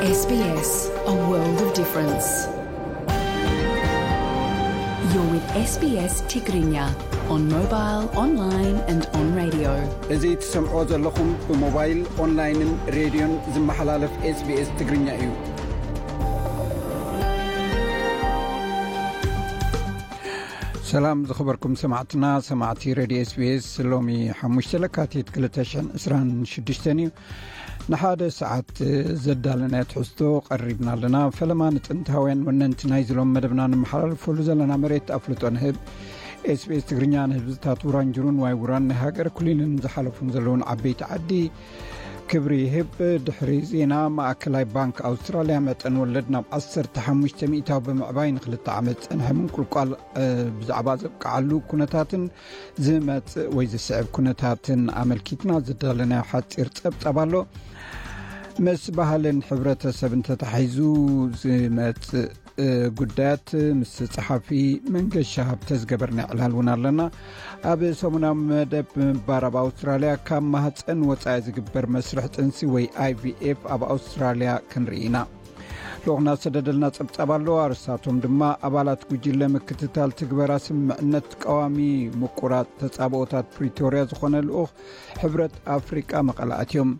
S B S, a world of difference. You're with S B S Tigrinya on mobile, online and on radio. እዚ ትሰምዖ ዘለኹም ብሞባይል፣ ኦንላይንን ሬድዮን ዝመሓላለፍ SBS ትግርኛ እዩ። ሰላም ዝኸበርኩም ሰማዕትና፣ ሰማዕቲ ሬድዮ SBS። ሎሚ ሓሙሽተ ለካቲት ክልተ ሽሕን ዕስራን ሽዱሽተን እዩ። ንሓደ ሰዓት ዘዳለናዮ ትሕዝቶ ቀሪብና ኣለና። ፈለማ ንጥንታውያን ወነንቲ ናይ ዝሎም መደብና ንመሓላልፈሉ ዘለና መሬት ኣፍልጦ ንህብ። SBS ትግርኛ ንህዝብታት ውራንጅሩን ዋይ ውራን ናይ ሃገር ኩሊንን ዝሓለፉን ዘለውን ዓበይቲ ዓዲ ክብሪ ይህብ። ድሕሪ ዜና፣ ማእከላይ ባንክ ኣውስትራልያ መጠን ወለድ ናብ ዓሰርተ ሓሙሽተ ሚእታዊ ብምዕባይ ንክልተ ዓመት ዝጸንሐ ምንቁልቋል፣ እ፣ ብዛዕባ ዘብቅዓሉ ኩነታትን ዝመጽእ ወይ ዝስዕብ ኩነታትን ኣመልኪትና ዝዳለናዮ ሓጺር ጸብጻብ ኣሎ። ምስ ባህልን ሕብረተሰብን ተታሒዙ ዝመጽእ፣ እ፣ ጉዳያት ምስ ጸሓፊ መንገሻ ሃብተ ዝገበርና ዕላል እውን ኣለና። ኣብ ሰሙናዊ መደብ ምንባር ኣብ ኣውስትራልያ ካብ ማህጸን ወጻኢ ዝግበር መስርሕ ጥንሲ ወይ I V F ኣብ ኣውስትራልያ ክንርኢ ኢና። ልኡኽና ዝሰደደልና ጸብጻብ ኣሎ። ኣርእስታቶም ድማ ኣባላት ጉጅለ ምክትታል ትግበራ ስምምዕነት ቀዋሚ ምቁራጽ ተጻብኦታት ፕሪቶርያ ዝኾነ ልኡኽ ሕብረት ኣፍሪቃ መቐለ ኣትዮም።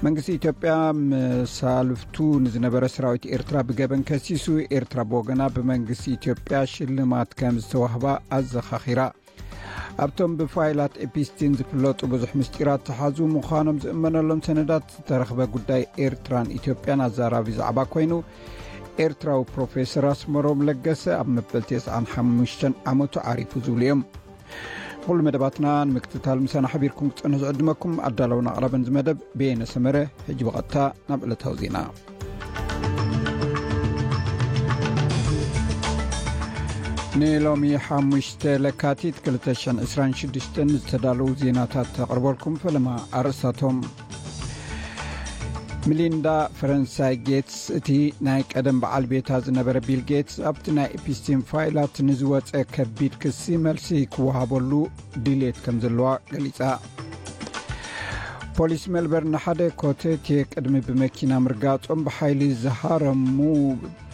መንግስቲ ኢትዮጵያ መሳልፍቱ ንዝነበረ ሰራዊት ኤርትራ ብገበን ከሲሱ፣ ኤርትራ ብወገና ብመንግስቲ ኢትዮጵያ ሽልማት ከም ዝተዋህባ ኣዘኻኺራ። ኣብቶም ብፋይላት ኤፒስቲን ዝፍለጡ ብዙሕ ምስጢራት ተሓዙ ምዃኖም ዝእመነሎም ሰነዳት ዝተረኽበ ጉዳይ ኤርትራን ኢትዮጵያን ኣዛራቢ ዛዕባ ኮይኑ፣ ኤርትራዊ ፕሮፌሰር ኣስመሮም ለገሰ ኣብ መበል ተስዓን ሓሙሽተን ዓመቱ ዓሪፉ ዝብሉ እዮም። ኩሉ መደባትና ንምክትታል ምሳና ሓቢርኩም ክትጸንሑ ዝዕድመኩም ኣዳለውን ኣቕራብን ዝመደብ በየነ ሰመረ። ሕጂ ብቐጥታ ናብ ዕለታዊ ዜና። ንሎሚ ሓሙሽተ ለካቲት ክልተ ሽሕን ዕስራን ሽዱሽተን ዝተዳለዉ ዜናታት ተቕርበልኩም። ፈለማ ኣርእስታቶም። ሚሊንዳ ፈረንሳይ ጌትስ፣ እቲ ናይ ቀደም በዓል ቤታ ዝነበረ ቢል ጌትስ፣ ኣብቲ ናይ ኤፒስቲን ፋይላት ንዝወጸ ከቢድ ክሲ መልሲ ክወሃበሉ ድሌት ከም ዘለዋ ገሊጻ። ፖሊስ ሜልበርን ሓደ ኮተቴ ቅድሚ ብመኪና ምርጋጾም ብሓይሊ ዝሃረሙ፣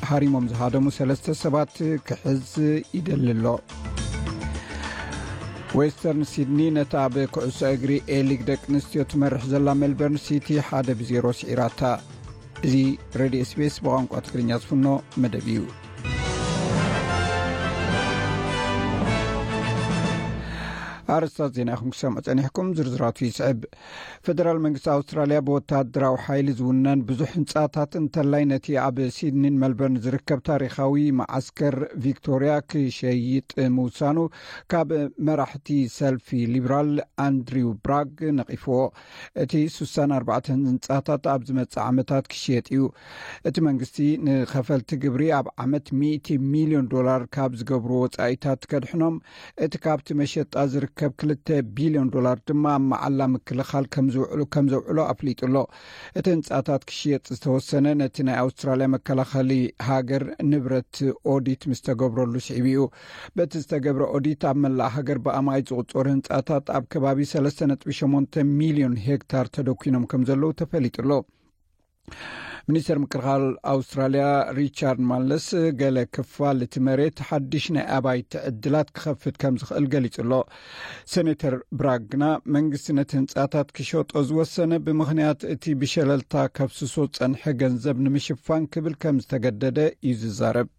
ሃሪሞም ዝሃደሙ ሰለስተ ሰባት ክሕዝ ይደሊ ኣሎ። ዌስተርን ሲድኒ ነታ ኣብ ኩዕሶ እግሪ ኤሊግ ደቂ ኣንስትዮ ትመርሕ ዘላ ሜልበርን ሲቲ ሓደ ብዜሮ ስዒራታ። እዚ ሬድዮ SBS ብቋንቋ ትግርኛ ዝፍኖ መደብ እዩ። ኣርእስታት ዜና ኢኹም ክሰምዑ ጸኒሕኩም፣ ዝርዝራቱ ይስዕብ። ፈደራል መንግስቲ ኣውስትራልያ ብወተሃደራዊ ሓይሊ ዝውነን ብዙሕ ህንጻታት እንተላይ ነቲ ኣብ ሲድኒን መልበርን ዝርከብ ታሪኻዊ መዓስከር ቪክቶርያ ክሸይጥ ምውሳኑ ካብ መራሕቲ ሰልፊ ሊብራል ኣንድሪው ብራግ ነቒፍዎ። እቲ ስሳን ኣርባዕተን ህንጻታት ኣብ ዝመጽእ ዓመታት ክሽየጥ እዩ። እቲ መንግስቲ ንኸፈልቲ ግብሪ ኣብ ዓመት ሚእቲ ሚልዮን ዶላር ካብ ዝገብሩ ወጻኢታት ከድሕኖም፣ እቲ ካብቲ መሸጣ ዝርከብ ክልተ ቢልዮን ዶላር ድማ ኣብ መዓላ ምክልኻል ከም ዝውዕሉ፣ ከም ዘውዕሎ ኣፍሊጡ ኣሎ። እቲ ህንጻታት ክሽየጥ ዝተወሰነ ነቲ ናይ ኣውስትራልያ መከላኸሊ ሃገር ንብረት ኦዲት ምስ ተገብረሉ ስዒቡ እዩ። በቲ ዝተገብረ ኦዲት ኣብ መላእ ሃገር ብኣማኢት ዝቑጸሩ ህንጻታት ኣብ ከባቢ ሰለስተ ነጥቢ ሸሞንተ ሚልዮን ሄክታር ተደኩኖም ከም ዘለዉ ተፈሊጡ ኣሎ። ሚኒስተር ምክልኻል ኣውስትራልያ ሪቻርድ ማለስ፣ ገለ ክፋል እቲ መሬት ሓድሽ ናይ ኣባይቲ ዕድላት ክኸፍት ከም ዝኽእል ገሊጹ ኣሎ። ሴኔተር ብራግ ግና መንግስቲ ነቲ ህንጻታት ክሸጦ ዝወሰነ ብምኽንያት እቲ ብሸለልታ ከፍስሶ ዝጸንሐ ገንዘብ ንምሽፋን ክብል ከም ዝተገደደ እዩ ዝዛረብ።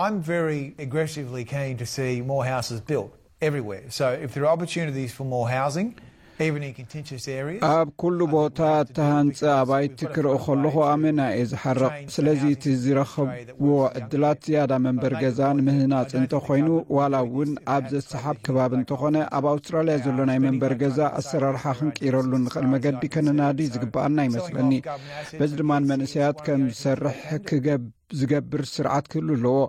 I'm very aggressively keen to see more houses built everywhere. So if there are opportunities for more housing, even in contentious areas, ኣብ ኩሉ ቦታ እተሃንጸ ኣባይቲ ክርኢ ከለኹ ኣመና እየ ዝሓርቕ። ስለዚ እቲ ዝረኸብዎ ዕድላት ዝያዳ መንበሪ ገዛ ንምህናጽ እንተኾይኑ፣ ዋላ እውን ኣብ ዘሰሓብ ከባቢ እንተኾነ፣ ኣብ ኣውስትራልያ ዘሎ ናይ መንበሪ ገዛ ኣሰራርሓ ክንቅይረሉ ንኽእል መገዲ ከነናዲ ዝግብኣና ይመስለኒ። በዚ ድማ ንመንእሰያት ከም ዝሰርሕ ክገብ ዝገብር ስርዓት ክህሉ ኣለዎ።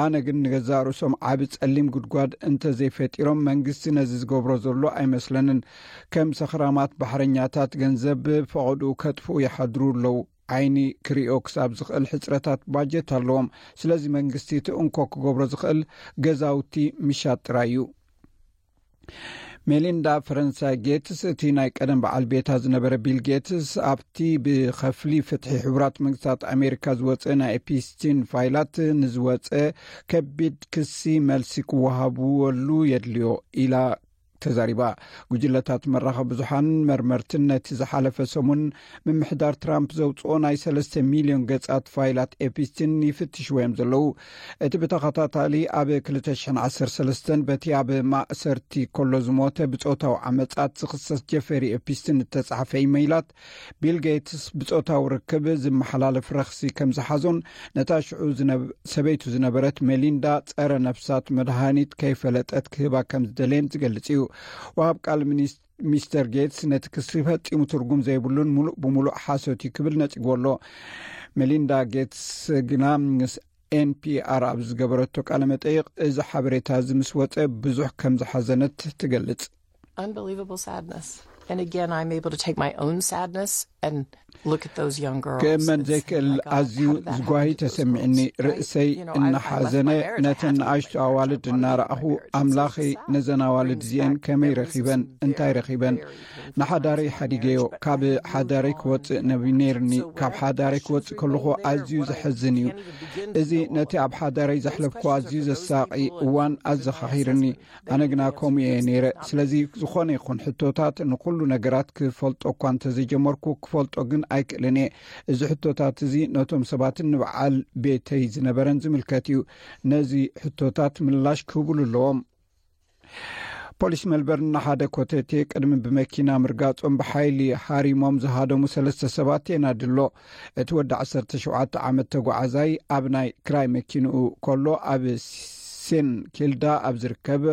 ኣነ ግን ንገዛእ ርእሶም ዓቢ ጸሊም ጉድጓድ እንተዘይፈጢሮም መንግስቲ ነዚ ዝገብሮ ዘሎ ኣይመስለንን። ከም ሰኽራማት ባሕረኛታት ገንዘብ ፈቐድኡ ከጥፍኡ ይሓድሩ ኣለዉ። ዓይኒ ክሪኦ ክሳብ ዝኽእል ሕጽረታት ባጀት ኣለዎም። ስለዚ መንግስቲ እቲ እንኮ ክገብሮ ዝኽእል ገዛውቲ ምሻጥ ጥራይ እዩ። ሜሊንዳ ፈረንሳይ ጌትስ፣ እቲ ናይ ቀደም በዓል ቤታ ዝነበረ ቢል ጌትስ፣ ኣብቲ ብኸፍሊ ፍትሒ ሕቡራት መንግስታት ኣሜሪካ ዝወፀ ናይ ኤፒስቲን ፋይላት ንዝወፀ ከቢድ ክሲ መልሲ ክወሃብወሉ የድልዮ ኢላ ተዛሪባ። ጉጅለታት መራኸቢ ብዙሓን መርመርትን ነቲ ዝሓለፈ ሰሙን ምምሕዳር ትራምፕ ዘውፅኦ ናይ ሰለስተ ሚልዮን ገጻት ፋይላት ኤፒስቲን ይፍትሽዎ እዮም ዘለዉ። እቲ ብተኸታታሊ ኣብ ክልተ ሽሕን ዓሰርተ ሰለስተን በቲ ኣብ ማእሰርቲ ከሎ ዝሞተ ብጾታዊ ዓመጻት ዝኽሰስ ጀፌሪ ኤፒስቲን እተጻሕፈ ኢመይላት፣ ቢል ጌትስ ብጾታዊ ርክብ ዝመሓላለፍ ረኽሲ ከም ዝሓዞን ነታ ሽዑ ዝነብ-፣ ሰበይቱ ዝነበረት ሜሊንዳ ጸረ ነፍሳት መድሃኒት ከይፈለጠት ክህባ ከም ዝደለየን ዝገልጽ እዩ። ወሃብ ቃል ሚኒስ-፣ ሚስተር ጌትስ ነቲ ክሲ ፈጺሙ ትርጉም ዘይብሉን ምሉእ ብምሉእ ሓሶት እዩ ክብል ነጺግዎ ኣሎ። ሜሊንዳ ጌትስ ግና ምስ ኤንፒኣር ኣብ ዝገበረቶ ቃለ መጠይቕ፣ እዚ ሓበሬታ እዚ ምስ ወጸ ብዙሕ ከም ዝሓዘነት ትገልጽ። Unbelievable sadness. And again, I'm able to take my own sadness and look at those young girls ክእመን and say, ዘይክእል "My God, ኣዝዩ how did that ዝጓሂ happen to those ተሰሚዕኒ። Girls?" Right? ርእሰይ You know, I, I left እናሓዘነ my marriage. I ነተን had to leave ንኣሽቱ my marriage. ኣዋልድ I wanted to leave እናረኣኹ፣ my marriage. It's "ኣምላኸይ፣ just the fact ነዘን ኣዋልድ that እዚኤን everything ከመይ back ረኺበን? brings me back very እንታይ painful ረኺበን?" memories of ኢለ። Very painful. ናሓዳረይ ሓዲገዮ፣ ካብ ሓዳረይ ክወፅእ ነቢ-፣ ነይርኒ። So ካብ when ሓዳረይ questions ክወፅእ ከለኹ remain there, ኣዝዩ what I ዘሕዝን እዩ። can't even begin to እዚ know all ነቲ of ኣብ ሓዳረይ ዘሕለፍኩ ኣዝዩ ዘሳቒ እዋን ኣዘኻኺርኒ። ኣነ ግና ከምኡ እየ ነይረ። ስለዚ ዝኾነ ይኹን ሕቶታት፣ ንኹሉ ነገራት ክፈልጦ እኳ እንተዘይጀመርኩ፣ ክፈልጦ ግን ኣይክእልን እየ። እዚ ሕቶታት እዚ ነቶም ሰባትን ንበዓል ቤተይ ዝነበረን ዝምልከት እዩ። ነዚ ሕቶታት ምላሽ ክህብሉ ኣለዎም። ፖሊስ ሜልበርን ንሓደ ኮተቴ ቅድሚ ብመኪና ምርጋጾም ብሓይሊ ሃሪሞም ዝሃደሙ ሰለስተ ሰባት የናድሎ። እቲ ወዲ ዓሰርተ ሸውዓተ ዓመት ተጓዓዛይ ኣብ ናይ ክራይ መኪንኡ ከሎ ኣብ ሴን ኪልዳ ኣብ ዝርከብ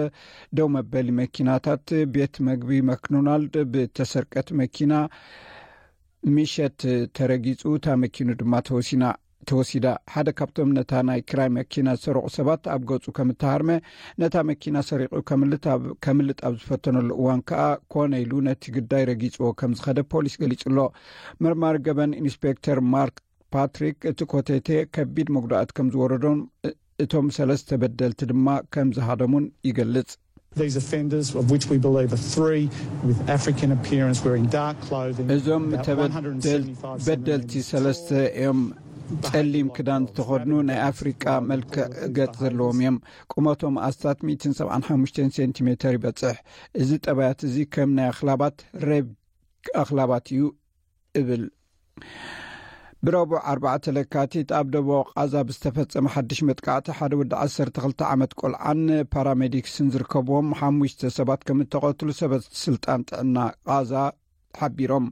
ደው መበሊ መኪናታት ቤት መግቢ ማክዶናልድ ብተሰርቀት መኪና ምሸት ተረጊጹ፣ እታ መኪኑ ድማ ተወሲና፣ ተወሲዳ። ሓደ ካብቶም ነታ ናይ ክራይ መኪና ዝሰረቑ ሰባት ኣብ ገጹ ከም እተሃርመ፣ ነታ መኪና ሰሪቑ ከምልጥ ኣብ፣ ከምልጥ ኣብ ዝፈተነሉ እዋን ከኣ ኮነ ኢሉ ነቲ ግዳይ ረጊጽዎ ከም ዝኸደ ፖሊስ ገሊጹ ኣሎ። መርማሪ ገበን ኢንስፔክተር ማርክ ፓትሪክ፣ እቲ ኮተቴ ከቢድ መጉዳእት ከም ዝወረዶን እ-፣ እቶም ሰለስተ በደልቲ ድማ ከም ዝሃደሙን ይገልጽ። These offenders, of which we believe are three with African appearance, wearing dark clothing, እዞም about ተበደል-፣ one hundred seventy-five በደልቲ centimetres ሰለስተ እዮም። ጸሊም ክዳን ዝተኸድኑ፣ ናይ ኣፍሪቃ መልክዕ ገጽ ዘለዎም እዮም። ቁመቶም ኣስታት ሚእትን ሰብዓን ሓሙሽተን ሴንቲሜተር ይበጽሕ። እዚ ጠባያት እዚ ከም ናይ ኣኽላባት ሬብ ኣኽላባት እዩ እብል። ብረቡዕ ኣርባዕተ ለካቲት ኣብ ደቡብ ቃዛ ብዝተፈጸመ ሓድሽ መጥቃዕቲ ሓደ ወዲ ዓሰርተ ክልተ ዓመት ቆልዓን ፓራሜዲክስን ዝርከብዎም ሓሙሽተ ሰባት ከም እተቐትሉ ሰበት ስልጣን ጥዕና ቃዛ ሓቢሮም።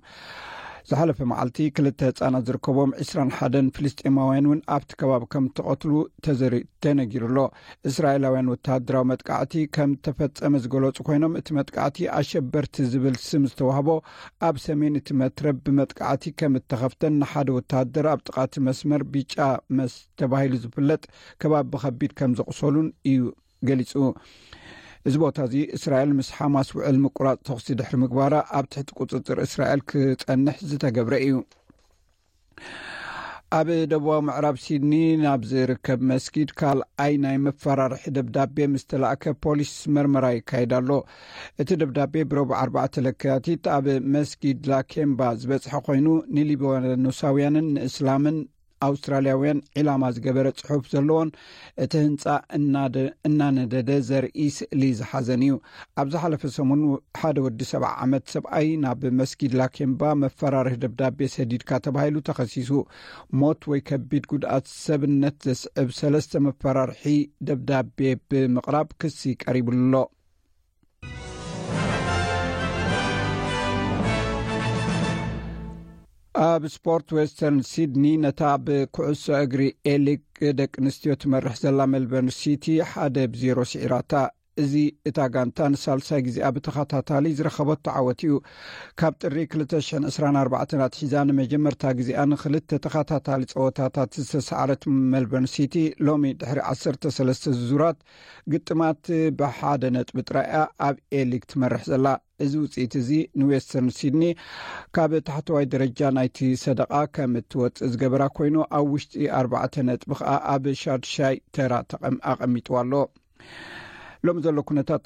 ዝሓለፈ መዓልቲ ክልተ ህጻናት ዝርከብዎም ዕስራን ሓደን ፍልስጤማውያን እውን ኣብቲ ከባቢ ከም እተቐትሉ ተዘሪ-፣ ተነጊሩ ኣሎ። እስራኤላውያን ወተሃደራዊ መጥቃዕቲ ከም እተፈጸመ ዝገለጹ ኮይኖም፣ እቲ መጥቃዕቲ ኣሸበርቲ ዝብል ስም ዝተዋህቦ ኣብ ሰሜን እቲ መትረብ ብመጥቃዕቲ ከም እተኸፍተን ንሓደ ወተሃደር ኣብ ጥቓ እቲ መስመር ቢጫ መስ ተባሂሉ ዝፍለጥ ከባቢ ብኸቢድ ከም ዘቑሰሉን እዩ ገሊጹ። እዚ ቦታ እዚ እስራኤል ምስ ሓማስ ውዕል ምቁራጽ ተኹሲ ድሕሪ ምግባራ ኣብ ትሕቲ ቁጽጽር እስራኤል ክጸንሕ ዝተገብረ እዩ። ኣብ ደቡባዊ ምዕራብ ሲድኒ ናብ ዝርከብ መስጊድ ካልኣይ ናይ መፈራርሒ ደብዳቤ ምስ ተላእከ ፖሊስ መርመራ ይካየድ ኣሎ። እቲ ደብዳቤ ብረቡዕ ኣርባዕተ ለካቲት ኣብ መስጊድ ላኬምባ ዝበጽሐ ኮይኑ፣ ንሊባኖሳውያንን ንእስላምን ኣውስትራልያውያን ዒላማ ዝገበረ ጽሑፍ ዘለዎን እቲ ህንጻ እናደ-፣ እናነደደ ዘርኢ ስእሊ ዝሓዘን እዩ። ኣብ ዝሓለፈ ሰሙን ሓደ ወዲ ሰብዓ ዓመት ሰብኣይ ናብ መስጊድ ላኬምባ መፈራርሒ ደብዳቤ ሰዲድካ ተባሂሉ ተኸሲሱ። ሞት ወይ ከቢድ ጉድኣት ሰብነት ዘስዕብ ሰለስተ መፈራርሒ ደብዳቤ ብምቕራብ ክሲ ቀሪቡሉ ኣሎ። ኣብ ስፖርት፣ ዌስተርን ሲድኒ ነታ ብኩዕሶ እግሪ ኤሊግ ደቂ ኣንስትዮ ትመርሕ ዘላ ሜልበርን ሲቲ ሓደ ብዜሮ ስዒራታ። እዚ እታ ጋንታ ንሳልሳይ ግዜኣ ብተኸታታሊ ዝረኸበቶ ዓወት እዩ። ካብ ጥሪ ክልተ ሽሕን ዕስራን ኣርባዕተን ኣትሒዛ ንመጀመርታ ግዜኣ ንኽልተ ተኸታታሊ ጸወታታት ዝተሰዓረት ሜልበርን ሲቲ፣ ሎሚ ድሕሪ ዓሰርተ ሰለስተ ዙራት ግጥማት ብሓደ ነጥቢ ጥራይ እያ ኣብ ኤሊግ ትመርሕ ዘላ። እዚ ውጽኢት እዚ ንዌስተርን ሲድኒ ካብ ታሕተዋይ ደረጃ ናይቲ ሰደቓ ከም እትወጽእ ዝገበራ ኮይኑ፣ ኣብ ውሽጢ ኣርባዕተ ነጥቢ ከኣ ኣብ ሻድሻይ ተራ ተቐም-፣ ኣቐሚጥዋ ኣሎ። ሎሚ ዘሎ ኩነታት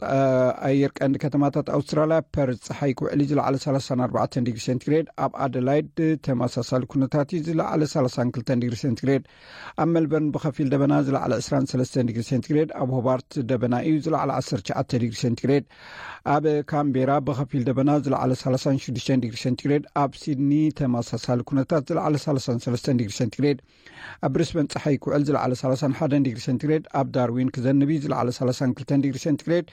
ኣየር ቀንዲ ከተማታት ኣውስትራልያ፣ ፐርዝ ጸሓይ ክውዕል እዩ፣ ዝለዓለ ሰላሳን ኣርባዕተን ዲግሪ ሴንቲግሬድ። ኣብ ኣደላይድ ተመሳሳሊ ኩነታት እዩ፣ ዝለዓለ ሰላሳን ክልተን ዲግሪ ሴንቲግሬድ። ኣብ ሜልበርን ብኸፊል ደበና፣ ዝለዓለ ዕስራን ሰለስተን ዲግሪ ሴንቲግሬድ። ኣብ ሆባርት ደበና እዩ፣ ዝለዓለ ዓሰርተ ትሽዓተ ዲግሪ ሴንቲግሬድ። ኣብ ካምቤራ ብኸፊል ደበና፣ ዝለዓለ ሰላሳን ሽዱሽተን ዲግሪ ሴንቲግሬድ። ኣብ ሲድኒ ተመሳሳሊ ኩነታት፣ ዝለዓለ ሰላሳን ሰለስተን ዲግሪ ሴንቲግሬድ። ኣብ ብሪስበን ጸሓይ ክውዕል፣ ዝለዓለ ሰላሳን ሓደን ዲግሪ ሴንቲግሬድ። ኣብ ዳርዊን ክዘንብ እዩ፣ ዝለዓለ ሰላሳን ክልተን ዲግሪ ሴንቲግሬድ።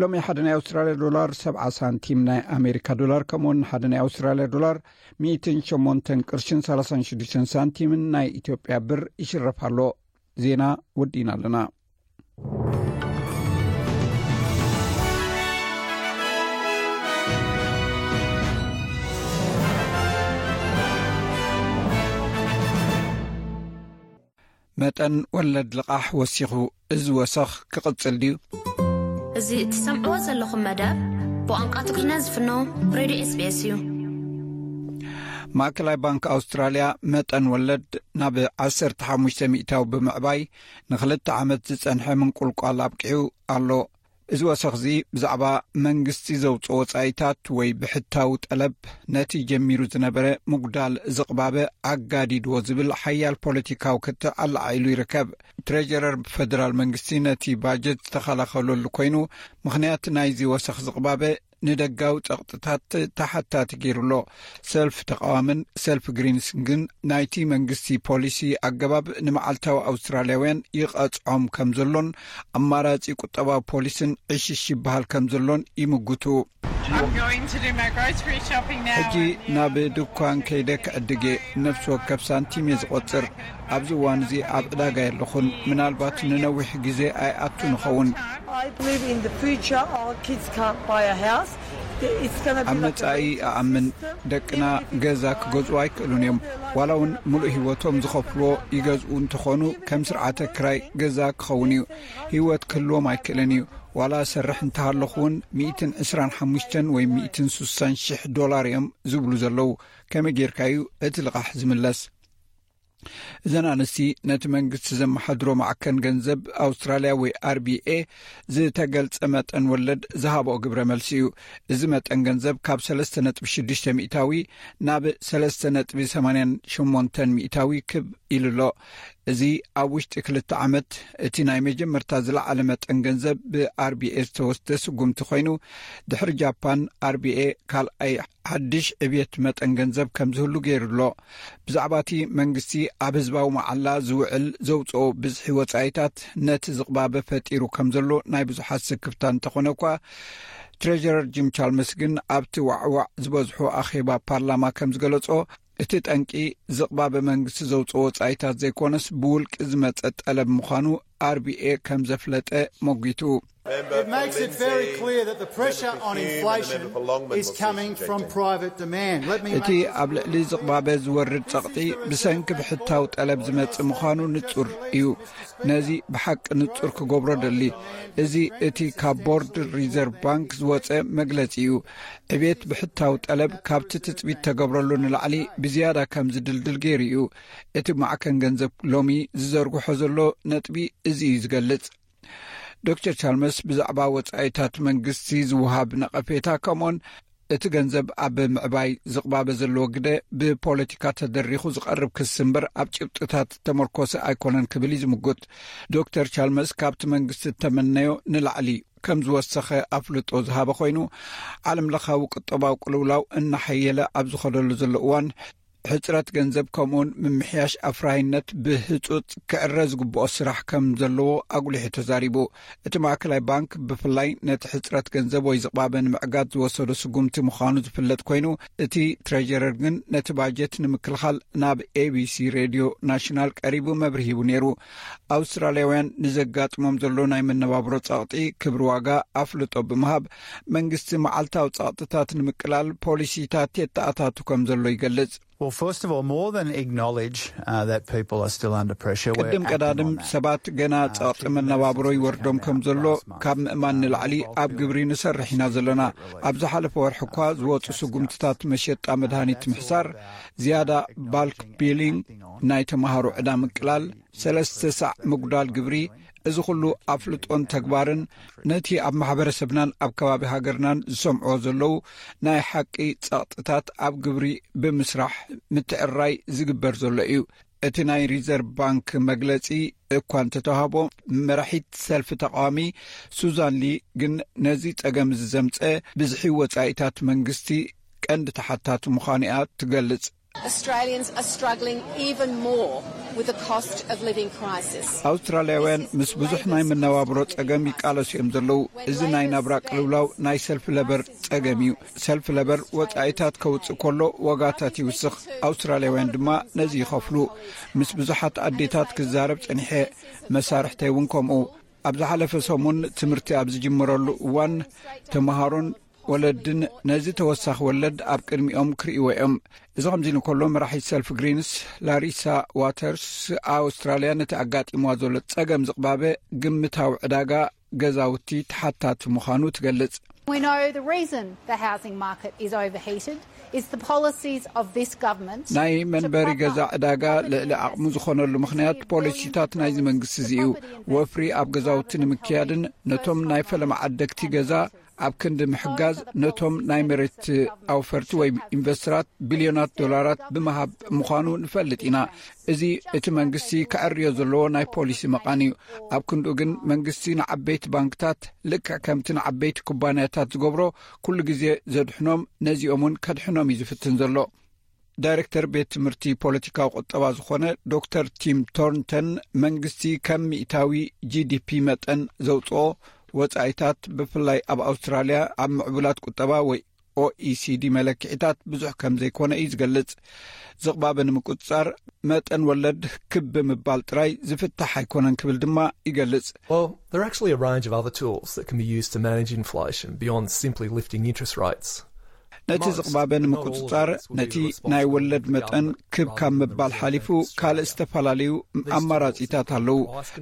ሎሚ ሓደ ናይ ኣውስትራልያ ዶላር ሰብዓ ሳንቲም ናይ ኣሜሪካ ዶላር፣ ከምኡውን ሓደ ናይ ኣውስትራልያ ዶላር ሚእትን ሸሞንተን ቅርሽን ሰላሳን ሽዱሽተን ሳንቲምን ናይ ኢትዮጵያ ብር ይሽረፍ ኣሎ። ዜና ወዲእና ኣለና። መጠን ወለድ ልቓሕ ወሲኹ፣ እዚ ወሰኽ ክቕጽል ድዩ? እዚ እትሰምዕዎ ዘለኹም መደብ ብቋንቋ ትግርኛ ዝፍኖ ሬድዮ ኤስ ቢ ኤስ እዩ። ማእከላይ ባንክ ኣውስትራልያ መጠን ወለድ ናብ ዓሰርተ ሓሙሽተ ሚእታዊ ብምዕባይ፣ ንኽልተ ዓመት ዝጸንሐ ምንቁልቋል ኣብቂዑ ኣሎ። እዚ ወሰኽዚ ብዛዕባ መንግስቲ ዘውጽኦ ወጻኢታት ወይ ብሕታዊ ጠለብ፣ ነቲ ጀሚሩ ዝነበረ ምጉዳል ዝቕባበ ኣጋዲድዎ ዝብል ሓያል ፖለቲካዊ ክትዕ ኣለዓዒሉ ይርከብ። ትሬጀረር ፈደራል መንግስቲ ነቲ ባጀት ዝተኸላኸለሉ ኮይኑ፣ ምኽንያት ናይዚ ወሰኽ ዝቕባበ ንደጋዊ ጸቕጥታት ተሓታቲ ገይሩ ኣሎ። ሰልፍ ተቓዋምን ሰልፍ ግሪንስ ግን ናይቲ መንግስቲ ፖሊሲ ኣገባብ ንመዓልታዊ ኣውስትራልያውያን ይቐጽዖም ከም ዘሎን ኣማራጺ ቁጠባዊ ፖሊስን ዕሽሽ ይበሃል ከም ዘሎን ይምጉቱ። I'm going to do my grocery shopping now. ሕጂ ናብ ድኳን ከይደ ክዕድግ እየ። ነፍሲ ወከፍ ሳንቲም እየ ዝቖጽር። ኣብዚ እዋን እዚ ኣብ ዕዳጋ የለኹን። ምናልባት ንነዊሕ ግዜ ኣይኣቱን እኸውን። I believe in the future, our kids can't buy a house. It's gonna be ኣብ like a መጻኢ waiting ኣኣምን። system. ደቅና ገዛ ክገዝኡ ኣይክእሉን እዮም። ዋላ እውን ምሉእ ህይወቶም ዝኸፍልዎ ይገዝኡ እንተኾኑ፣ ከም ስርዓተ ክራይ ገዛ ክኸውን እዩ። ህይወት ክህልዎም ኣይክእልን እዩ። ዋላ ሰርሕ እንተሃለኹ እውን፣ ሚእትን ዕስራን ሓሙሽተን ወይ ሚእትን ስሳን ሽሕ ዶላር እዮም ዝብሉ ዘለዉ። ከመይ ጌርካ እዩ እቲ ልቓሕ ዝምለስ? እዘን ኣንስቲ ነቲ መንግስቲ ዘመሓድሮ ማዕከን ገንዘብ ኣውስትራልያ ወይ ኣር ቢ ኤ ዝተገልጸ መጠን ወለድ ዝሃብኦ ግብረ መልሲ እዩ። እዚ መጠን ገንዘብ ካብ ሰለስተ ነጥቢ ሽዱሽተ ሚእታዊ ናብ ሰለስተ ነጥቢ ሰማንያን ሸሞንተን ሚእታዊ ክብ ኢሉ ኣሎ። እዚ ኣብ ውሽጢ ክልተ ዓመት እቲ ናይ መጀመርታ ዝለዓለ መጠን ገንዘብ ብ ኣር ቢ ኤ ዝተወስደ ስጉምቲ ኮይኑ፣ ድሕሪ ጃፓን ኣር ቢ ኤ ካልኣይ ሓድሽ ዕብየት መጠን ገንዘብ ከም ዝህሉ ገይሩ ኣሎ። ብዛዕባ እቲ መንግስቲ ኣብ ህዝባዊ መዓላ ዝውዕል ዘውፅኦ ብዝሒ ወፃኢታት ነቲ ዝቕባበ ፈጢሩ ከም ዘሎ ናይ ብዙሓት ስክፍታ እንተኾነ እኳ፣ ትሬጀረር ጂም ቻልመስ ግን ኣብቲ ዋዕዋዕ ዝበዝሑ ኣኼባ ፓርላማ ከም ዝገለጾ፣ እቲ ጠንቂ ዝቕባበ መንግስቲ ዘውፅኦ ወፃኢታት ዘይኮነስ ብውልቂ ዝመፀ ጠለብ ምዃኑ ኣር ቢ ኤ ከም ዘፍለጠ ሞጒቱ። It makes it very clear that the pressure on inflation is coming from private demand. Let me እቲ ኣብ ልዕሊ ዝቕባበ ዝወርድ ጸቕጢ ብሰንኪ ብሕታዊ ጠለብ ዝመጽእ ምዃኑ ንጹር እዩ። ነዚ ብሓቂ ንጹር ክገብሮ ደሊ። እዚ እቲ ካብ ቦርድ ሪዘርቭ ባንክ ዝወጸ መግለጺ እዩ። ዕቤት ብሕታዊ ጠለብ ካብቲ ትጽቢት ተገብረሉ ንላዕሊ ብዝያዳ ከም ዝድልድል ገይሩ እዩ። እቲ ማዕከን ገንዘብ ሎሚ ዝዘርግሖ ዘሎ ነጥቢ እዚ እዩ ዝገልጽ። ዶክተር ቻልመስ ብዛዕባ ወጻኢታት መንግስቲ ዝወሃብ ነቐፌታ፣ ከምኡን እቲ ገንዘብ ኣብ ምዕባይ ዝቕባበ ዘለዎ ግደ ብፖለቲካ ተደሪኹ ዝቐርብ ክሲ እምበር ኣብ ጭብጥታት ተመርኮሰ ኣይኮነን ክብል እዩ ዝምጉት። ዶክተር ቻልመስ ካብቲ መንግስቲ እተመነዮ ንላዕሊ ከም ዝወሰኸ ኣፍልጦ ዝሃበ ኮይኑ፣ ዓለም ለኻዊ ቁጠባዊ ቅልውላው እናሓየለ ኣብ ዝኸደሉ ዘሎ እዋን፣ ሕጽረት ገንዘብ ከምኡውን ምምሕያሽ ኣፍራይነት ብህጹጽ ክዕረ ዝግብኦ ስራሕ ከም ዘለዎ ኣጉሊሑ ተዛሪቡ። እቲ ማእከላይ ባንክ ብፍላይ ነቲ ሕጽረት ገንዘብ ወይ ዝቕባበ ንምዕጋት ዝወሰዶ ስጉምቲ ምዃኑ ዝፍለጥ ኮይኑ፣ እቲ ትሬጀረር ግን ነቲ ባጀት ንምክልኻል ናብ ኤ ቢ ሲ ሬድዮ ናሽናል ቀሪቡ መብርሂ ሂቡ ነይሩ። ኣውስትራልያውያን ንዘጋጥሞም ዘሎ ናይ መነባብሮ ጸቕጢ፣ ክብሪ ዋጋ ኣፍልጦ ብምሃብ፣ መንግስቲ መዓልታዊ ጸቕጥታት ንምቅላል ፖሊሲታት የተኣታቱ ከም ዘሎ ይገልጽ። Well, first of all, more than acknowledge uh, that people are still under pressure. We're ቅድም acting ቀዳድም on that. ሰባት ገና ጸቕጢ መነባብሮ ይወርዶም ከም ዘሎ ካብ ምእማን ንላዕሊ ኣብ ግብሪ ንሰርሕ ኢና ዘለና። ኣብ ዝሓለፈ ወርሒ እኳ ዝወፁ ስጉምትታት መሸጣ መድሃኒት ምሕሳር፣ ዝያዳ ባልክ ቢሊንግ፣ ናይ ተምሃሮ ዕዳ ምቅላል፣ ሰለስተ ሳዕ ምጉዳል ግብሪ፣ እዚ ኩሉ ኣፍልጦን ተግባርን ነቲ ኣብ ማሕበረሰብናን ኣብ ከባቢ ሃገርናን ዝሰምዕዎ ዘለዉ ናይ ሓቂ ጸቕጥታት ኣብ ግብሪ ብምስራሕ ምትዕርራይ ዝግበር ዘሎ እዩ። እቲ ናይ ሪዘርቭ ባንክ መግለጺ እኳ እንተተዋህቦ፣ መራሒት ሰልፊ ተቓዋሚ ሱዛን ሊ ግን ነዚ ጸገም እዚ ዘምጸ ብዝሒ ወጻኢታት መንግስቲ ቀንዲ ተሓታቲ ምዃኑ እያ ትገልጽ። Australians are struggling even more with the cost of living crisis. ኣውስትራልያውያን ምስ ብዙሕ ናይ መነባብሮ ጸገም ይቃለሱ እዮም ዘለዉ። እዚ ናይ ናብራ ቅልውላው ናይ ሰልፊ ለበር ጸገም እዩ። ሰልፊ ለበር ወጻኢታት ከውጽእ ከሎ ዋጋታት ይውስኽ። ኣውስትራልያውያን ድማ ነዚ ይኸፍሉ። ምስ ብዙሓት ኣዴታት ክዛረብ ጸኒሐ፣ መሳርሕተይ እውን ከምኡ። ኣብ ዝሓለፈ ሰሙን ትምህርቲ ኣብ ዝጅምረሉ እዋን ተምሃሮን ወለድን ነዚ ተወሳኺ ወለድ ኣብ ቅድሚኦም ክርእይዎ እዮም። እዚ ከምዚ ኢሉ እንከሎ፣ መራሒት ሰልፊ ግሪንስ ላሪሳ ዋተርስ፣ ኣውስትራልያ ነቲ ኣጋጢምዋ ዘሎ ጸገም ዝቕባበ ግምታዊ ዕዳጋ ገዛውቲ ተሓታቲ ምዃኑ ትገልጽ። We know the reason the housing market is overheated is the policies of this government. ናይ መንበሪ ገዛ ዕዳጋ ልዕሊ ዓቕሙ ዝኾነሉ ምኽንያት ፖሊሲታት ናይዚ መንግስቲ እዚ እዩ። ወፍሪ ኣብ ገዛውቲ ንምክያድን ነቶም ናይ ፈለማ ዓደግቲ ገዛ ኣብ ክንዲ ምሕጋዝ፣ ነቶም ናይ መሬት ኣውፈርቲ ወይ ኢንቨስተራት ቢልዮናት ዶላራት ብምሃብ ምዃኑ ንፈልጥ ኢና። እዚ እቲ መንግስቲ ከዐርዮ ዘለዎ ናይ ፖሊሲ መቓን እዩ። ኣብ ክንድኡ ግን መንግስቲ ንዓበይቲ ባንክታት ልክዕ ከምቲ ንዓበይቲ ኩባንያታት ዝገብሮ ኩሉ ግዜ ዘድሕኖም፣ ነዚኦም እውን ከድሕኖም እዩ ዝፍትን ዘሎ። ዳይሬክተር ቤት ትምህርቲ ፖለቲካዊ ቁጠባ ዝኾነ ዶክተር ቲም ቶርንተን፣ መንግስቲ ከም ሚእታዊ ጂ ዲ ፒ መጠን ዘውፅኦ ወፃኢታት፣ ብፍላይ ኣብ ኣውስትራልያ ኣብ ምዕቡላት ቁጠባ ወይ ኦ ኢ ሲ ዲ መለክዒታት ብዙሕ ከም ዘይኮነ እዩ ዝገልጽ። ዝቕባበ ንምቁጽጻር መጠን ወለድ ክብ ብምባል ጥራይ ዝፍታሕ ኣይኮነን ክብል ድማ ይገልጽ። Well, there are actually a range of other tools that can be used to manage inflation beyond simply lifting interest rates. ነቲ ዝቕባበ ንምቁጽጻር ነቲ ናይ ወለድ መጠን ክብ ካብ ምባል ሓሊፉ ካልእ ዝተፈላለዩ ኣማራጺታት ኣለዉ።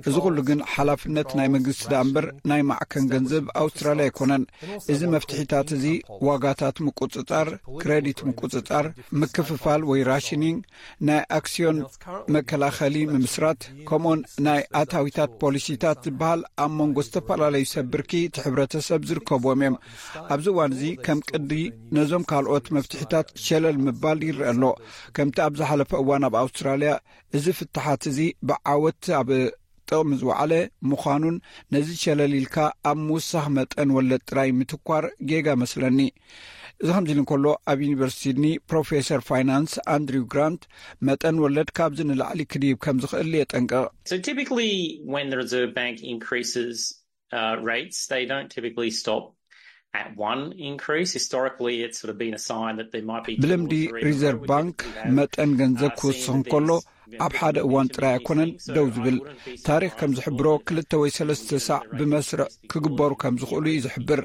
እዚ ኩሉ ግን ሓላፍነት ናይ መንግስቲ ደኣ እምበር ናይ ማዕከን ገንዘብ ኣውስትራልያ ኣይኮነን። እዚ መፍትሒታት እዚ ዋጋታት ምቁጽጻር፣ ክረዲት ምቁጽጻር፣ ምክፍፋል ወይ ራሽኒንግ፣ ናይ ኣክስዮን መከላኸሊ ምምስራት፣ ከምኡውን ናይ ኣታዊታት ፖሊሲታት ዝበሃል ኣብ መንጎ ዝተፈላለዩ ሰብ ብርኪ እቲ ሕብረተሰብ ዝርከብዎም እዮም። ኣብዚ እዋን እዚ ከም ቅዲ ነዞም ካልኦት መፍትሒታት ሸለል ምባል ይረአ ኣሎ። ከምቲ ኣብ ዝሓለፈ እዋን ኣብ ኣውስትራልያ እዚ ፍትሓት እዚ ብዓወት ኣብ ጥቕሚ ዝወዓለ ምዃኑን ነዚ ሸለል ኢልካ ኣብ ምውሳኽ መጠን ወለድ ጥራይ ምትኳር ጌጋ መስለኒ። እዚ ከምዚ ኢሉ እንከሎ፣ ኣብ ዩኒቨርሲቲ ሲድኒ ፕሮፌሰር ፋይናንስ ኣንድሪው ግራንት መጠን ወለድ ካብዚ ንላዕሊ ክድይብ ከም ዝኽእል የጠንቅቕ። So typically, when the Reserve Bank increases uh, rates, they don't typically stop at one increase. Historically, it's sort of been a sign that there might be two ብልምዲ or three in a row. ሪዘርቭ We ባንክ typically have, መጠን ገንዘብ uh, ክውስኽ seen እንከሎ these, you know, ኣብ ሓደ እዋን ጥራይ ኣይኮነን ደው ዝብል። ታሪኽ ከም ዝሕብሮ፣ ክልተ ወይ ሰለስተ ሳዕ ብመስርዕ ክግበሩ ከም ዝኽእሉ እዩ ዝሕብር።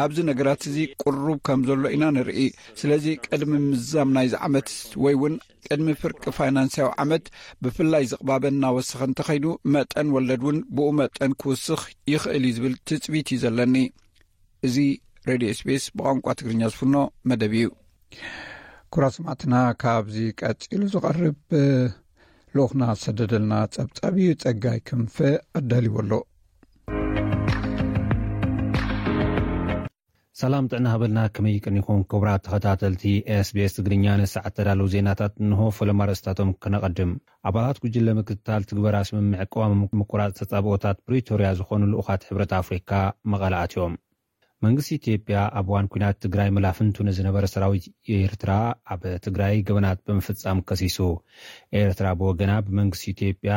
ኣብዚ ነገራት እዚ ቅሩብ ከም ዘሎ ኢና ንርኢ። ስለዚ ቅድሚ ምዛም ናይዚ ዓመት ወይ እውን ቅድሚ ፍርቂ ፋይናንሳዊ ዓመት ብፍላይ ዝቕባበ እናወሰኸ እንተኸይዱ፣ መጠን ወለድ እውን ብኡ መጠን ክውስኽ ይኽእል እዩ ዝብል ትጽቢት እዩ ዘለኒ። እዚ ሬድዮ ኤስቢኤስ ብቋንቋ ትግርኛ ዝፍኖ መደብ እዩ። ክቡራት ሰማዕትና፣ ካብዚ ቀጺሉ ዝቐርብ ልኡኽና ዝሰደደልና ጸብጻብ እዩ። ጸጋይ ክንፈ ኣዳልዎ ኣሎ። ሰላም ጥዕና ሃበልና፣ ከመይ ቀኒኹም ክቡራት ተኸታተልቲ ኤስቢኤስ ትግርኛ? ንሰዓት ተዳለዉ ዜናታት እንሆ። ፈለማ ርእስታቶም ክነቐድም። ኣባላት ጉጅለ ምክትታል ትግበራ ስምምዕ ቅዋም ምቁራጽ ተጻብኦታት ፕሪቶርያ ዝኾኑ ልኡኻት ሕብረት ኣፍሪካ መቐለ ኣትዮም። መንግስቲ ኢትዮጵያ ኣብ እዋን ኲናት ትግራይ መላፍንቱ ንዝነበረ ሰራዊት ኤርትራ ኣብ ትግራይ ገበናት ብምፍጻም ከሲሱ። ኤርትራ ብወገና ብመንግስቲ ኢትዮጵያ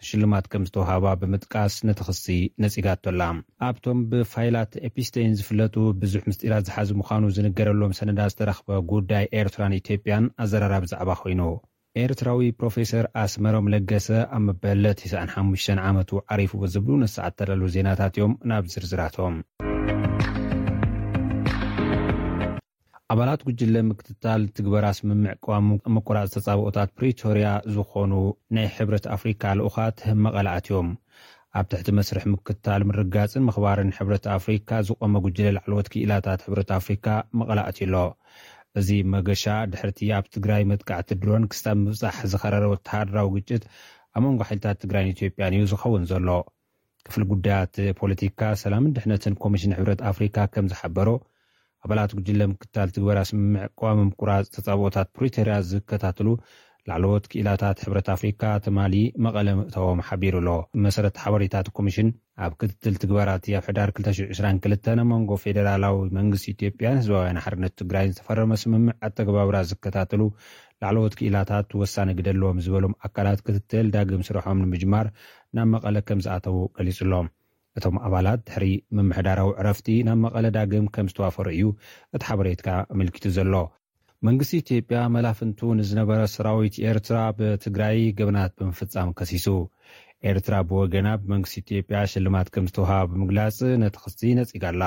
ሽልማት ከም ዝተውሃባ ብምጥቃስ ነቲ ክሲ ነጺጋቶ ኣላ። ኣብቶም ብፋይላት ኤፒስቴን ዝፍለጡ ብዙሕ ምስጢራት ዝሓዙ ምዃኑ ዝንገረሎም ሰነዳት ዝተረኽበ ጉዳይ ኤርትራን ኢትዮጵያን ኣዘራራቢ ዛዕባ ኮይኑ። ኤርትራዊ ፕሮፌሰር ኣስመሮም ለገሰ ኣብ መበል ተስዓን ሓሙሽተን ዓመቱ ዓሪፉ ዝብሉ ንሰዓት ተዳለዉ ዜናታት እዮም። ናብ ዝርዝራቶም። ኣባላት ጉጅለ ምክትታል ትግበራ ስምምዕ ቅዋም ምቁራጽ ተጻብኦታት ፕሪቶርያ ዝኾኑ ናይ ሕብረት ኣፍሪካ ልኡኻት መቐለ ኣትዮም። ኣብ ትሕቲ መስርሕ ምክትታል ምርጋጽን ምኽባርን ሕብረት ኣፍሪካ ዝቆመ ጉጅለ ላዕለዎት ክኢላታት ሕብረት ኣፍሪካ መቐለ ኣትዩ ኣሎ። እዚ መገሻ ድሕርቲ ኣብ ትግራይ መጥቃዕቲ ድሮን ክሳብ ምብጻሕ ዝኸረረ ወተሃደራዊ ግጭት ኣብ መንጎ ሓይልታት ትግራይን ኢትዮጵያን እዩ ዝኸውን ዘሎ። ክፍል ጉዳያት ፖለቲካ፣ ሰላምን ድሕነትን ኮሚሽን ሕብረት ኣፍሪካ ከም ዝሓበሮ፣ ኣባላት ጉጅለ ምክታል ትግበራ ስምምዕ ቅዋም ምቁራፅ ተፃብኦታት ፕሪቶርያ ዝከታተሉ ላዕለዎት ክኢላታት ሕብረት ኣፍሪካ ትማሊ መቐለ ምእታዎም ሓቢሩ ኣሎ። መሰረት ሓበሬታት ኮሚሽን፣ ኣብ ክትትል ትግበራቲ ኣብ ሕዳር ክልተ ሽሕ ዕስራን ክልተን ኣብ መንጎ ፌደራላዊ መንግስቲ ኢትዮጵያን ህዝባውያን ሓርነት ትግራይን ዝተፈረመ ስምምዕ ኣተገባብራ ዝከታተሉ ላዕለዎት ክኢላታት ወሳኒ ግደ ኣለዎም ዝበሎም ኣካላት ክትትል ዳግም ስርሖም ንምጅማር ናብ መቐለ ከም ዝኣተዉ ገሊጹ ኣሎ። እቶም ኣባላት ድሕሪ ምምሕዳራዊ ዕረፍቲ ናብ መቐለ ዳግም ከም ዝተዋፈሩ እዩ እቲ ሓበሬታ ኣመልኪቱ ዘሎ። መንግስቲ ኢትዮጵያ መላፍንቱ ንዝነበረ ሰራዊት ኤርትራ ብትግራይ ገበናት ብምፍጻም ከሲሱ። ኤርትራ ብወገና ብመንግስቲ ኢትዮጵያ ሽልማት ከም ዝተውሃባ ብምግላጽ ነቲ ክሲ ነጺጋ ኣላ።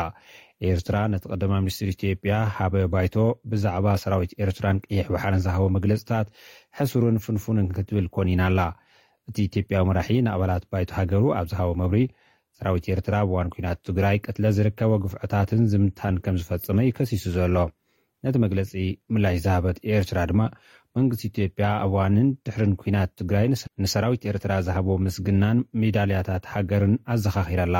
ኤርትራ ነቲ ቀዳማይ ሚኒስትር ኢትዮጵያ ሃበ ባይቶ ብዛዕባ ሰራዊት ኤርትራን ቀይሕ ባሕርን ዝሃቦ መግለጽታት ሕሱርን ፍንፉንን ክትብል ኮኒና ኣላ። እቲ ኢትዮጵያዊ መራሒ ንኣባላት ባይቶ ሃገሩ ኣብ ዝሃቦ መብሪ፣ ሰራዊት ኤርትራ ኣብ እዋን ኲናት ትግራይ ቅትለት ዝርከቦ ግፍዕታትን ዝምታን ከም ዝፈጸመ እዩ ከሲሱ ዘሎ። ነቲ መግለጺ ምላሽ ዝሃበት ኤርትራ ድማ፣ መንግስቲ ኢትዮጵያ ኣብ እዋንን ድሕርን ኲናት ትግራይ ንሰ-፣ ንሰራዊት ኤርትራ ዝሃቦ ምስግናን ሜዳልያታት ሃገርን ኣዘኻኺራ ኣላ።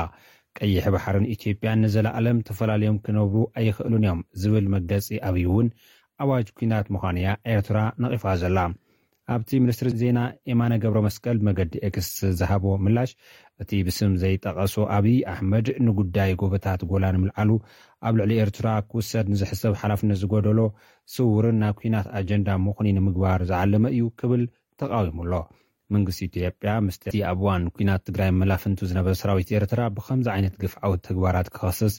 ቀይሕ ባሕርን ኢትዮጵያን ንዘለኣለም ተፈላለዮም ክነብሩ ኣይኽእሉን እዮም ዝብል መግለጺ ኣብይ እውን ኣዋጅ ኲናት ምዃኑ እያ ኤርትራ ነቒፋ ዘላ። ኣብቲ ሚኒስትሪ ዜና የማነ ገብረ መስቀል ብመገዲ ኤክስ ዝሃቦ ምላሽ፣ እቲ ብስም ዘይጠቐሶ ኣብይ ኣሕመድ ንጉዳይ ጎቦታት ጎላን ምልዓሉ ኣብ ልዕሊ ኤርትራ ክውሰድ ንዝሕሰብ ሓላፍነት ዝጎደሎ ስውርን ናብ ኲናት ኣጀንዳ ምኹኒ ንምግባር ዝዓለመ እዩ ክብል ተቓዊሙ ኣሎ። መንግስቲ ኢትዮጵያ ምስቲ ኣብ እዋን ኲናት ትግራይ መላፍንቱ ዝነበረ ሰራዊት ኤርትራ ብኸምዚ ዓይነት ግፍዓዊ ተግባራት ክኸስስ፣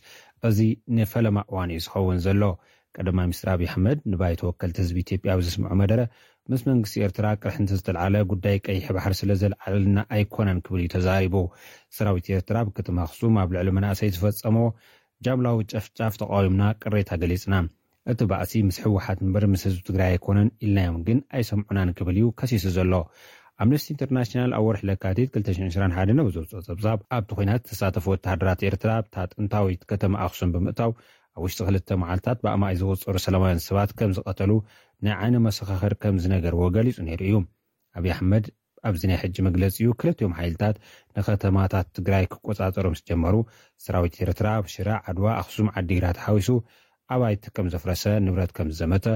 እዚ ንፈለማ እዋን እዩ ዝኸውን ዘሎ። ቀዳማይ ሚኒስትር ኣብይ ኣሕመድ ንባይቶ ወከልቲ ህዝቢ ኢትዮጵያ ኣብ ዘስምዖ መደረ፣ ምስ መንግስቲ ኤርትራ ቅርሕንቲ ዝተልዓለ ጉዳይ ቀይሕ ባሕሪ ስለ ዘልዓለልና ኣይኮነን ክብል እዩ ተዛሪቡ። ሰራዊት ኤርትራ ኣብ ከተማ ኣኽሱም ኣብ ልዕሊ መናእሰይ ዝፈጸሞ ጃምላዊ ጨፍጫፍ ተቓዊምና ቅሬታ ገሊጽና። እቲ ባእሲ ምስ ህወሓት እምበር ምስ ህዝቢ ትግራይ ኣይኮነን ኢልናዮም ግን ኣይሰምዑናን ክብል እዩ ከሲሱ ዘሎ። ኣምነስቲ ኢንተርናሽናል ኣብ ወርሒ ለካቲት ክልተ ሽሕን ዕስራን ሓደን ኣብ ዘውፅኦ ጸብጻብ፣ ኣብቲ ኲናት ዝተሳተፉ ወተሃደራት ኤርትራ ኣብታ ጥንታዊት ከተማ ኣኽሱም ብምእታው ኣብ ውሽጢ ክልተ መዓልታት ብኣማኢት ዝቑጸሩ ሰላማውያን ሰባት ከም ዝቐተሉ ናይ ዓይኒ መሰኻኽር ከም ዝነገርዎ ገሊጹ ነይሩ እዩ። ኣብይ ኣሕመድ ኣብዚ ናይ ሕጂ መግለጺኡ ክልቲኦም ሓይልታት ንከተማታት ትግራይ ክቆጻጸሩ ምስ ጀመሩ፣ ሰራዊት ኤርትራ ኣብ ሽረ፣ ዓድዋ፣ ኣኽሱም፣ ዓዲግራት ሓዊሱ ኣባይቲ ከም ዘፍረሰ፣ ንብረት ከም ዝዘመተ፣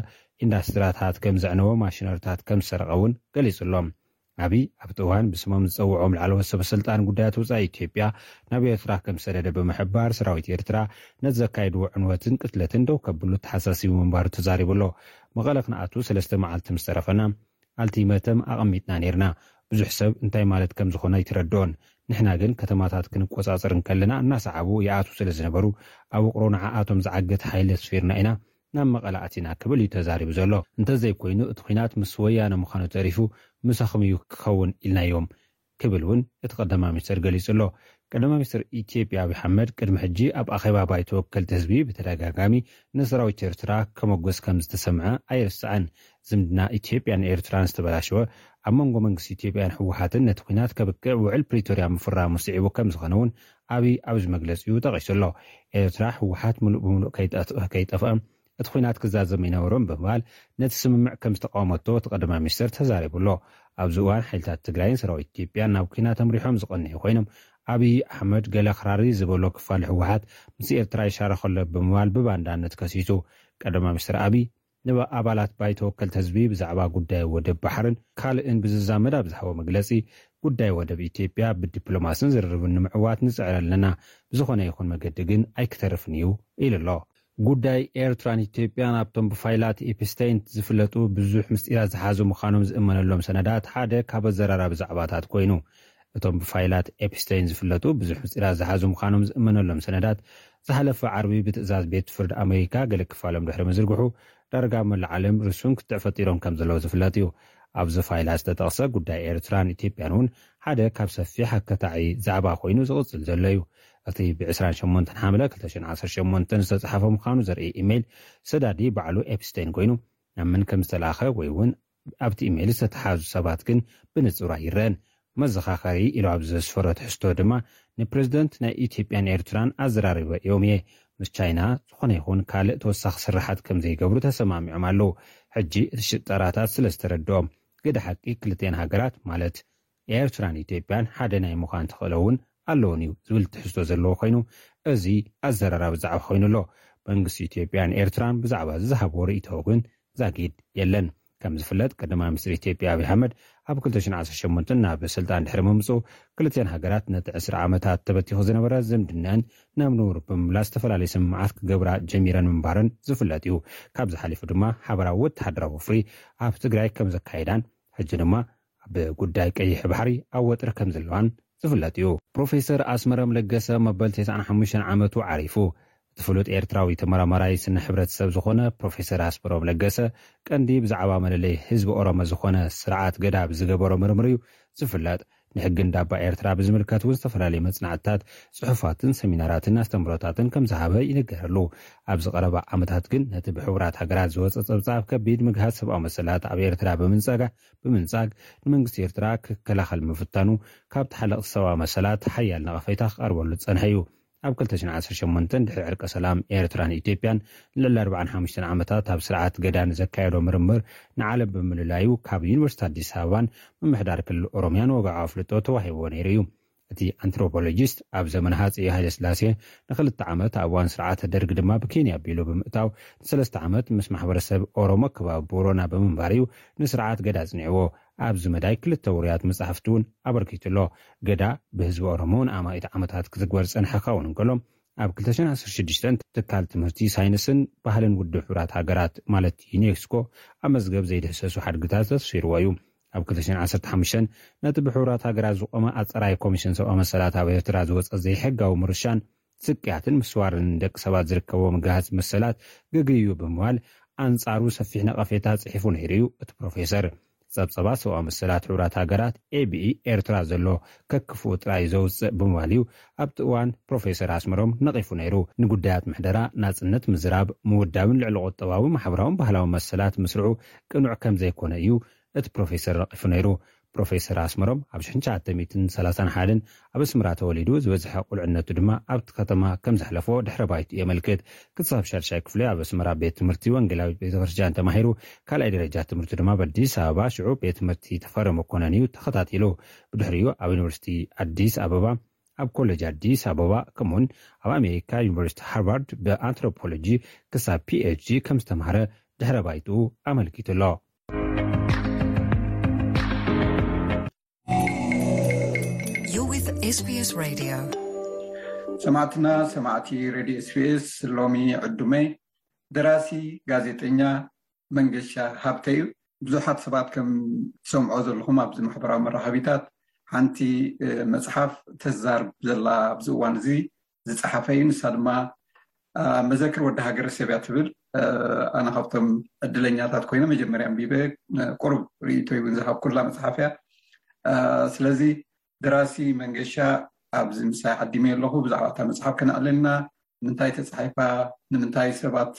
ኢንዳስትሪታት ከም ዘዕነወ፣ ማሽነሪታት ከም ዝሰረቐ እውን ገሊጹ ኣሎ። ኣብይ ኣብቲ እዋን ብስሞም ዝጸውዖም ላዕለዎት ሰበ ስልጣን ጉዳያት ወጻኢ ኢትዮጵያ ናብ ኤርትራ ከም ዝሰደደ ብምሕባር፣ ሰራዊት ኤርትራ ነቲ ዘካየድዎ ዕንወትን ቅትለትን ደው ከብሉ ተሓሳሲቡ ምንባሩ ተዛሪቡ ኣሎ። መቐለ ክንኣቱ ሰለስተ መዓልቲ ምስ ተረፈና ኣልቲመተም ኣቐሚጥና ነይርና። ብዙሕ ሰብ እንታይ ማለት ከም ዝኾነ ኣይተረድኦን። ንሕና ግን ከተማታት ክንቆጻጸር እንከለና እናሰዓቡ ይኣትዉ ስለ ዝነበሩ፣ ኣብ ውቕሮ ንዓኣቶም ዝዓግት ሓይሊ ኣስፊርና ኢና ናብ መቐለ ኣቲና ክብል እዩ ተዛሪቡ ዘሎ። እንተዘይኮይኑ እቲ ኲናት ምስ ወያነ ምዃኑ ተሪፉ ምሳኹም እዩ ክኸውን ኢልናዮም ክብል እውን እቲ ቀዳማይ ሚኒስትር ገሊጹ ኣሎ። ቀዳማይ ሚኒስትር ኢትዮጵያ ኣብይ ኣሕመድ ቅድሚ ሕጂ ኣብ ኣኼባ ባይቶ ወከልቲ ህዝቢ ብተደጋጋሚ ንሰራዊት ኤርትራ ከመጎስ ከም ዝተሰምዐ ኣይርስዕን። ዝምድና ኢትዮጵያን ኤርትራን ዝተበላሸወ ኣብ መንጎ መንግስቲ ኢትዮጵያን ህወሓትን ነቲ ኲናት ከብቅዕ ውዕል ፕሪቶርያ ምፍራሙ ስዒቡ ከም ዝኾነ እውን ኣብይ ኣብዚ መግለጺኡ ጠቒሱ ኣሎ። ኤርትራ ህወሓት ምሉእ ብምሉእ ከይጠፍ-፣ ከይጠፍአ እቲ ኲናት ክዛዘም ኣይነበሮን ብምባል ነቲ ስምምዕ ከም ዝተቃወመቶ እቲ ቀዳማይ ሚኒስትር ተዛሪቡ ኣሎ። ኣብዚ እዋን ሓይልታት ትግራይን ሰራዊት ኢትዮጵያን ናብ ኲናት ኣምሪሖም ዝቐንዩ ኮይኖም፣ ኣብይ ኣሕመድ ገለ ክራሪ ዝበሎ ክፋል ህወሓት ምስ ኤርትራ ይሻረኽ ኣሎ ብምባል ብባንዳነት ከሲሱ። ቀዳማይ ሚኒስትር ኣብይ ንኣባላት ባይቶ ወከልቲ ህዝቢ ብዛዕባ ጉዳይ ወደብ ባሕርን ካልእን ብዝዛመድ ኣብ ዝሃቦ መግለጺ፣ ጉዳይ ወደብ ኢትዮጵያ ብዲፕሎማስን ዝርርብን ንምዕዋት ንጽዕር ኣለና፣ ብዝኾነ ይኹን መገዲ ግን ኣይክተርፍን እዩ ኢሉ ኣሎ። ጉዳይ ኤርትራን ኢትዮጵያን ኣብቶም ብፋይላት ኤፕስታይን ዝፍለጡ ብዙሕ ምስጢራት ዝሓዙ ምዃኖም ዝእመነሎም ሰነዳት ሓደ ካብ ኣዘራራቢ ዛዕባታት ኮይኑ፣ እቶም ብፋይላት ኤፕስታይን ዝፍለጡ ብዙሕ ምስጢራት ዝሓዙ ምዃኖም ዝእመነሎም ሰነዳት ዝሓለፈ ዓርቢ ብትእዛዝ ቤት ፍርዲ ኣሜሪካ ገለ ክፋሎም ድሕሪ ምዝርግሑ፣ ዳርጋ መላእ ዓለም ርሱን ክትዕ ፈጢሮም ከም ዘለዉ ዝፍለጥ እዩ። ኣብዚ ፋይላት ዝተጠቕሰ ጉዳይ ኤርትራን ኢትዮጵያን እውን ሓደ ካብ ሰፊሕ ኣከታዒ ዛዕባ ኮይኑ ዝቕጽል ዘሎ እዩ። እቲ ብ ዕስራን ሸሞንተን ሓምለ ክልተ ሽሕን ዓሰርተ ሸሞንተን ዝተጻሕፈ ምዃኑ ዘርኢ ኢሜይል ሰዳዲ ባዕሉ ኤፕስታይን ኮይኑ፣ ናብ መን ከም ዝተላእኸ ወይ እውን ኣብቲ ኢሜይል ዝተተሓዙ ሰባት ግን ብንጹር ኣይረኣን። መዘኻኸሪ ኢሉ ኣብ ዘስፈሮ ትሕዝቶ ድማ፣ ንፕሬዝደንት ናይ ኢትዮጵያን ኤርትራን ኣዘራሪበ እዮም እየ። ምስ ቻይና ዝኾነ ይኹን ካልእ ተወሳኺ ስራሓት ከም ዘይገብሩ ተሰማሚዖም ኣለዉ። ሕጂ እቲ ሽጠራታት ስለ ዝተረድኦም፣ ግደ ሓቂ ክልቲኤን ሃገራት ማለት ኤርትራን ኢትዮጵያን ሓደ ናይ ምዃን ተኽእሎ እውን ኣለዎን እዩ ዝብል ትሕዝቶ ዘለዎ ኮይኑ፣ እዚ ኣዘራራቢ ዛዕባ ኮይኑ ኣሎ። መንግስቲ ኢትዮጵያን ኤርትራን ብዛዕባ እዚ ዝሃብዎ ርእይቶ ግን ዛጊድ የለን። ከም ዝፍለጥ፣ ቀዳማይ ሚኒስትር ኢትዮጵያ ኣብይ ኣሕመድ ኣብ ክልተ ሽሕን ዓሰርተ ሸሞንተን ናብ ስልጣን ድሕሪ ምምፅኡ፣ ክልቲኣን ሃገራት ነቲ ዕስራ ዓመታት ተበቲኹ ዝነበረ ዝምድናን ናብ ንቡር ብምምላስ ዝተፈላለዩ ስምምዓት ክገብራ ጀሚረን ምንባረን ዝፍለጥ እዩ። ካብዚ ሓሊፉ ድማ ሓበራዊ ወተሃደራዊ ወፍሪ ኣብ ትግራይ ከም ዘካየዳን፣ ሕጂ ድማ ኣብ ጉዳይ ቀይሕ ባሕሪ ኣብ ወጥሪ ከም ዘለዋን ዝፍለጥ እዩ። ፕሮፌሰር ኣስመረም ለገሰ መበል ተስዓን ሓሙሽተን ዓመቱ ዓሪፉ። እቲ ፍሉጥ ኤርትራዊ ተመራማራይ ስነ ሕብረተሰብ ዝኾነ ፕሮፌሰር ኣስመሮም ለገሰ፣ ቀንዲ ብዛዕባ መለለይ ህዝቢ ኦሮሞ ዝኾነ ስርዓት ገዳ ብዝገበሮ ምርምር እዩ ዝፍለጥ። ንሕጊ እንዳባ ኤርትራ ብዝምልከት እውን ዝተፈላለዩ መጽናዕትታት፣ ጽሑፋትን ሰሚናራትን ኣስተምህሮታትን ከም ዝሃበ ይንገረሉ። ኣብዚ ቀረባ ዓመታት ግን ነቲ ብሕቡራት ሃገራት ዝወጸ ጸብጻብ ከቢድ ምግሃስ ሰብኣዊ መሰላት ኣብ ኤርትራ ብምንጻጋ-፣ ብምንጻግ፣ ንመንግስቲ ኤርትራ ክከላኸል ምፍታኑ ካብ ተሓለቕቲ ሰብኣዊ መሰላት ሓያል ነቐፌታ ክቐርበሉ ዝጸንሐ እዩ። ኣብ ክልተ ሽሕን ዓሰርተ ሸሞንተን ድሕሪ ዕርቀ ሰላም ኤርትራን ኢትዮጵያን ንልዕሊ ኣርባዓን ሓሙሽተን ዓመታት ኣብ ስርዓት ገዳ ንዘካየዶ ምርምር ንዓለም ብምልላዩ ካብ ዩኒቨርሲቲ ኣዲስ ኣበባን ምምሕዳር ክልል ኦሮምያን ወግዓዊ ኣፍልጦ ተዋሂብዎ ነይሩ እዩ። እቲ ኣንትሮፖሎጂስት ኣብ ዘመነ ሃጸይ ሃይለስላሴ ንክልተ ዓመት ኣብ እዋን ስርዓተ ደርግ ድማ ብኬንያ ኣቢሉ ብምእታው ንሰለስተ ዓመት ምስ ማሕበረሰብ ኦሮሞ ከባቢ ቦረና ብምንባር እዩ ንስርዓት ገዳ ኣጽኒዕዎ። ኣብዚ መዳይ ክልተ ውሩያት መጻሕፍቲ እውን ኣበርኪቱ ኣሎ። ገዳ ብህዝቢ ኦሮሞ ንኣማኢት ዓመታት ክትግበር ዝጸንሐ ክኸውን እንከሎ፣ ኣብ ክልተ ሽሕን ዓሰርተ ሽዱሽተን ትካል ትምህርቲ ሳይንስን ባህልን ውድብ ሕቡራት ሃገራት ማለት ዩኔስኮ ኣብ መዝገብ ዘይድህሰሱ ሓድግታት ዘስፊርዎ እዩ። ኣብ ክልተ ሽሕን ዓሰርተ ሓሙሽተን ነቲ ብሕቡራት ሃገራት ዝቖመ ኣጸራይ ኮሚሽን ሰብኣዊ መሰላት ኣብ ኤርትራ ዝወጸ ዘይሕጋዊ ምርሻን ስቅያትን ምስዋርን ደቂ ሰባት ዝርከቦ ምግሃስ መሰላት ገግዩ ብምባል ኣንጻሩ ሰፊሕ ነቐፌታ ጽሒፉ ነይሩ እዩ። እቲ ፕሮፌሰር ጸብጸባት ሰብኣዊ መሰላት ሕቡራት ሃገራት ኤቢኢ ኤርትራ ዘሎ ከክፍኡ ጥራይ ዘውጽእ ብምባል እዩ ኣብቲ እዋን ፕሮፌሰር ኣስመሮም ነቒፉ ነይሩ። ንጉዳያት ምሕደራ፣ ናጽነት ምዝራብ፣ ምውዳብን ልዕሊ ቁጠባዊ፣ ማሕበራውን ባህላውን መሰላት ምስርዑ ቅኑዕ ከም ዘይኮነ እዩ እቲ ፕሮፌሰር ነቒፉ ነይሩ። ፕሮፌሰር ኣስመሮም ኣብ ሽሕን ትሽዓተ ሚእትን ሰላሳን ሓደን ኣብ ኣስመራ ተወሊዱ፣ ዝበዝሐ ቁልዕነቱ ድማ ኣብቲ ከተማ ከም ዘሕለፎ ድሕረ ባይቱ የመልክት። ክሳብ ሻድሻይ ክፍሊ ኣብ ኣስመራ ቤት ትምህርቲ ወንጌላዊት ቤተ ክርስቲያን ተማሂሩ፣ ካልኣይ ደረጃ ትምህርቱ ድማ ኣብ ኣዲስ ኣበባ ሽዑ ቤት ትምህርቲ ተፈሪ መኮነን እዩ ተኸታቲሉ። ብድሕሪኡ ኣብ ዩኒቨርሲቲ ኣዲስ ኣበባ፣ ኣብ ኮሌጅ ኣዲስ ኣበባ፣ ከምኡውን ኣብ ኣሜሪካ ዩኒቨርሲቲ ሃርቫርድ ብኣንትሮፖሎጂ ክሳብ ፒኤችዲ ከም ዝተምሃረ ድሕረ ባይትኡ ኣመልኪቱ ኣሎ። You're with SBS Radio. ሰማዕትና ሰማዕቲ ሬድዮ ኤስቢኤስ፣ ሎሚ ዕዱመይ ደራሲ ጋዜጠኛ መንገሻ ሃብተ እዩ። ብዙሓት ሰባት ከም ትሰምዖ ዘለኹም ኣብዚ ማሕበራዊ መራኸቢታት ሓንቲ መፅሓፍ ተዛርብ ዘላ ኣብዚ እዋን እዚ ዝፀሓፈ እዩ። ንሳ ድማ መዘክር ወዲ ሃገረሰብ እያ ትብል። ኣነ ካብቶም ዕድለኛታት ኮይነ መጀመርያ ኣንቢበ ቁሩብ ርእይቶይ እውን ዝሃብኩላ መፅሓፍ እያ። ስለዚ ደራሲ መንገሻ ኣብዚ ምሳይ ዓዲመ ኣለኹ። ብዛዕባ እታ መፅሓፍ ከነዕልልና፣ ንምንታይ ተፃሒፋ፣ ንምንታይ ሰባት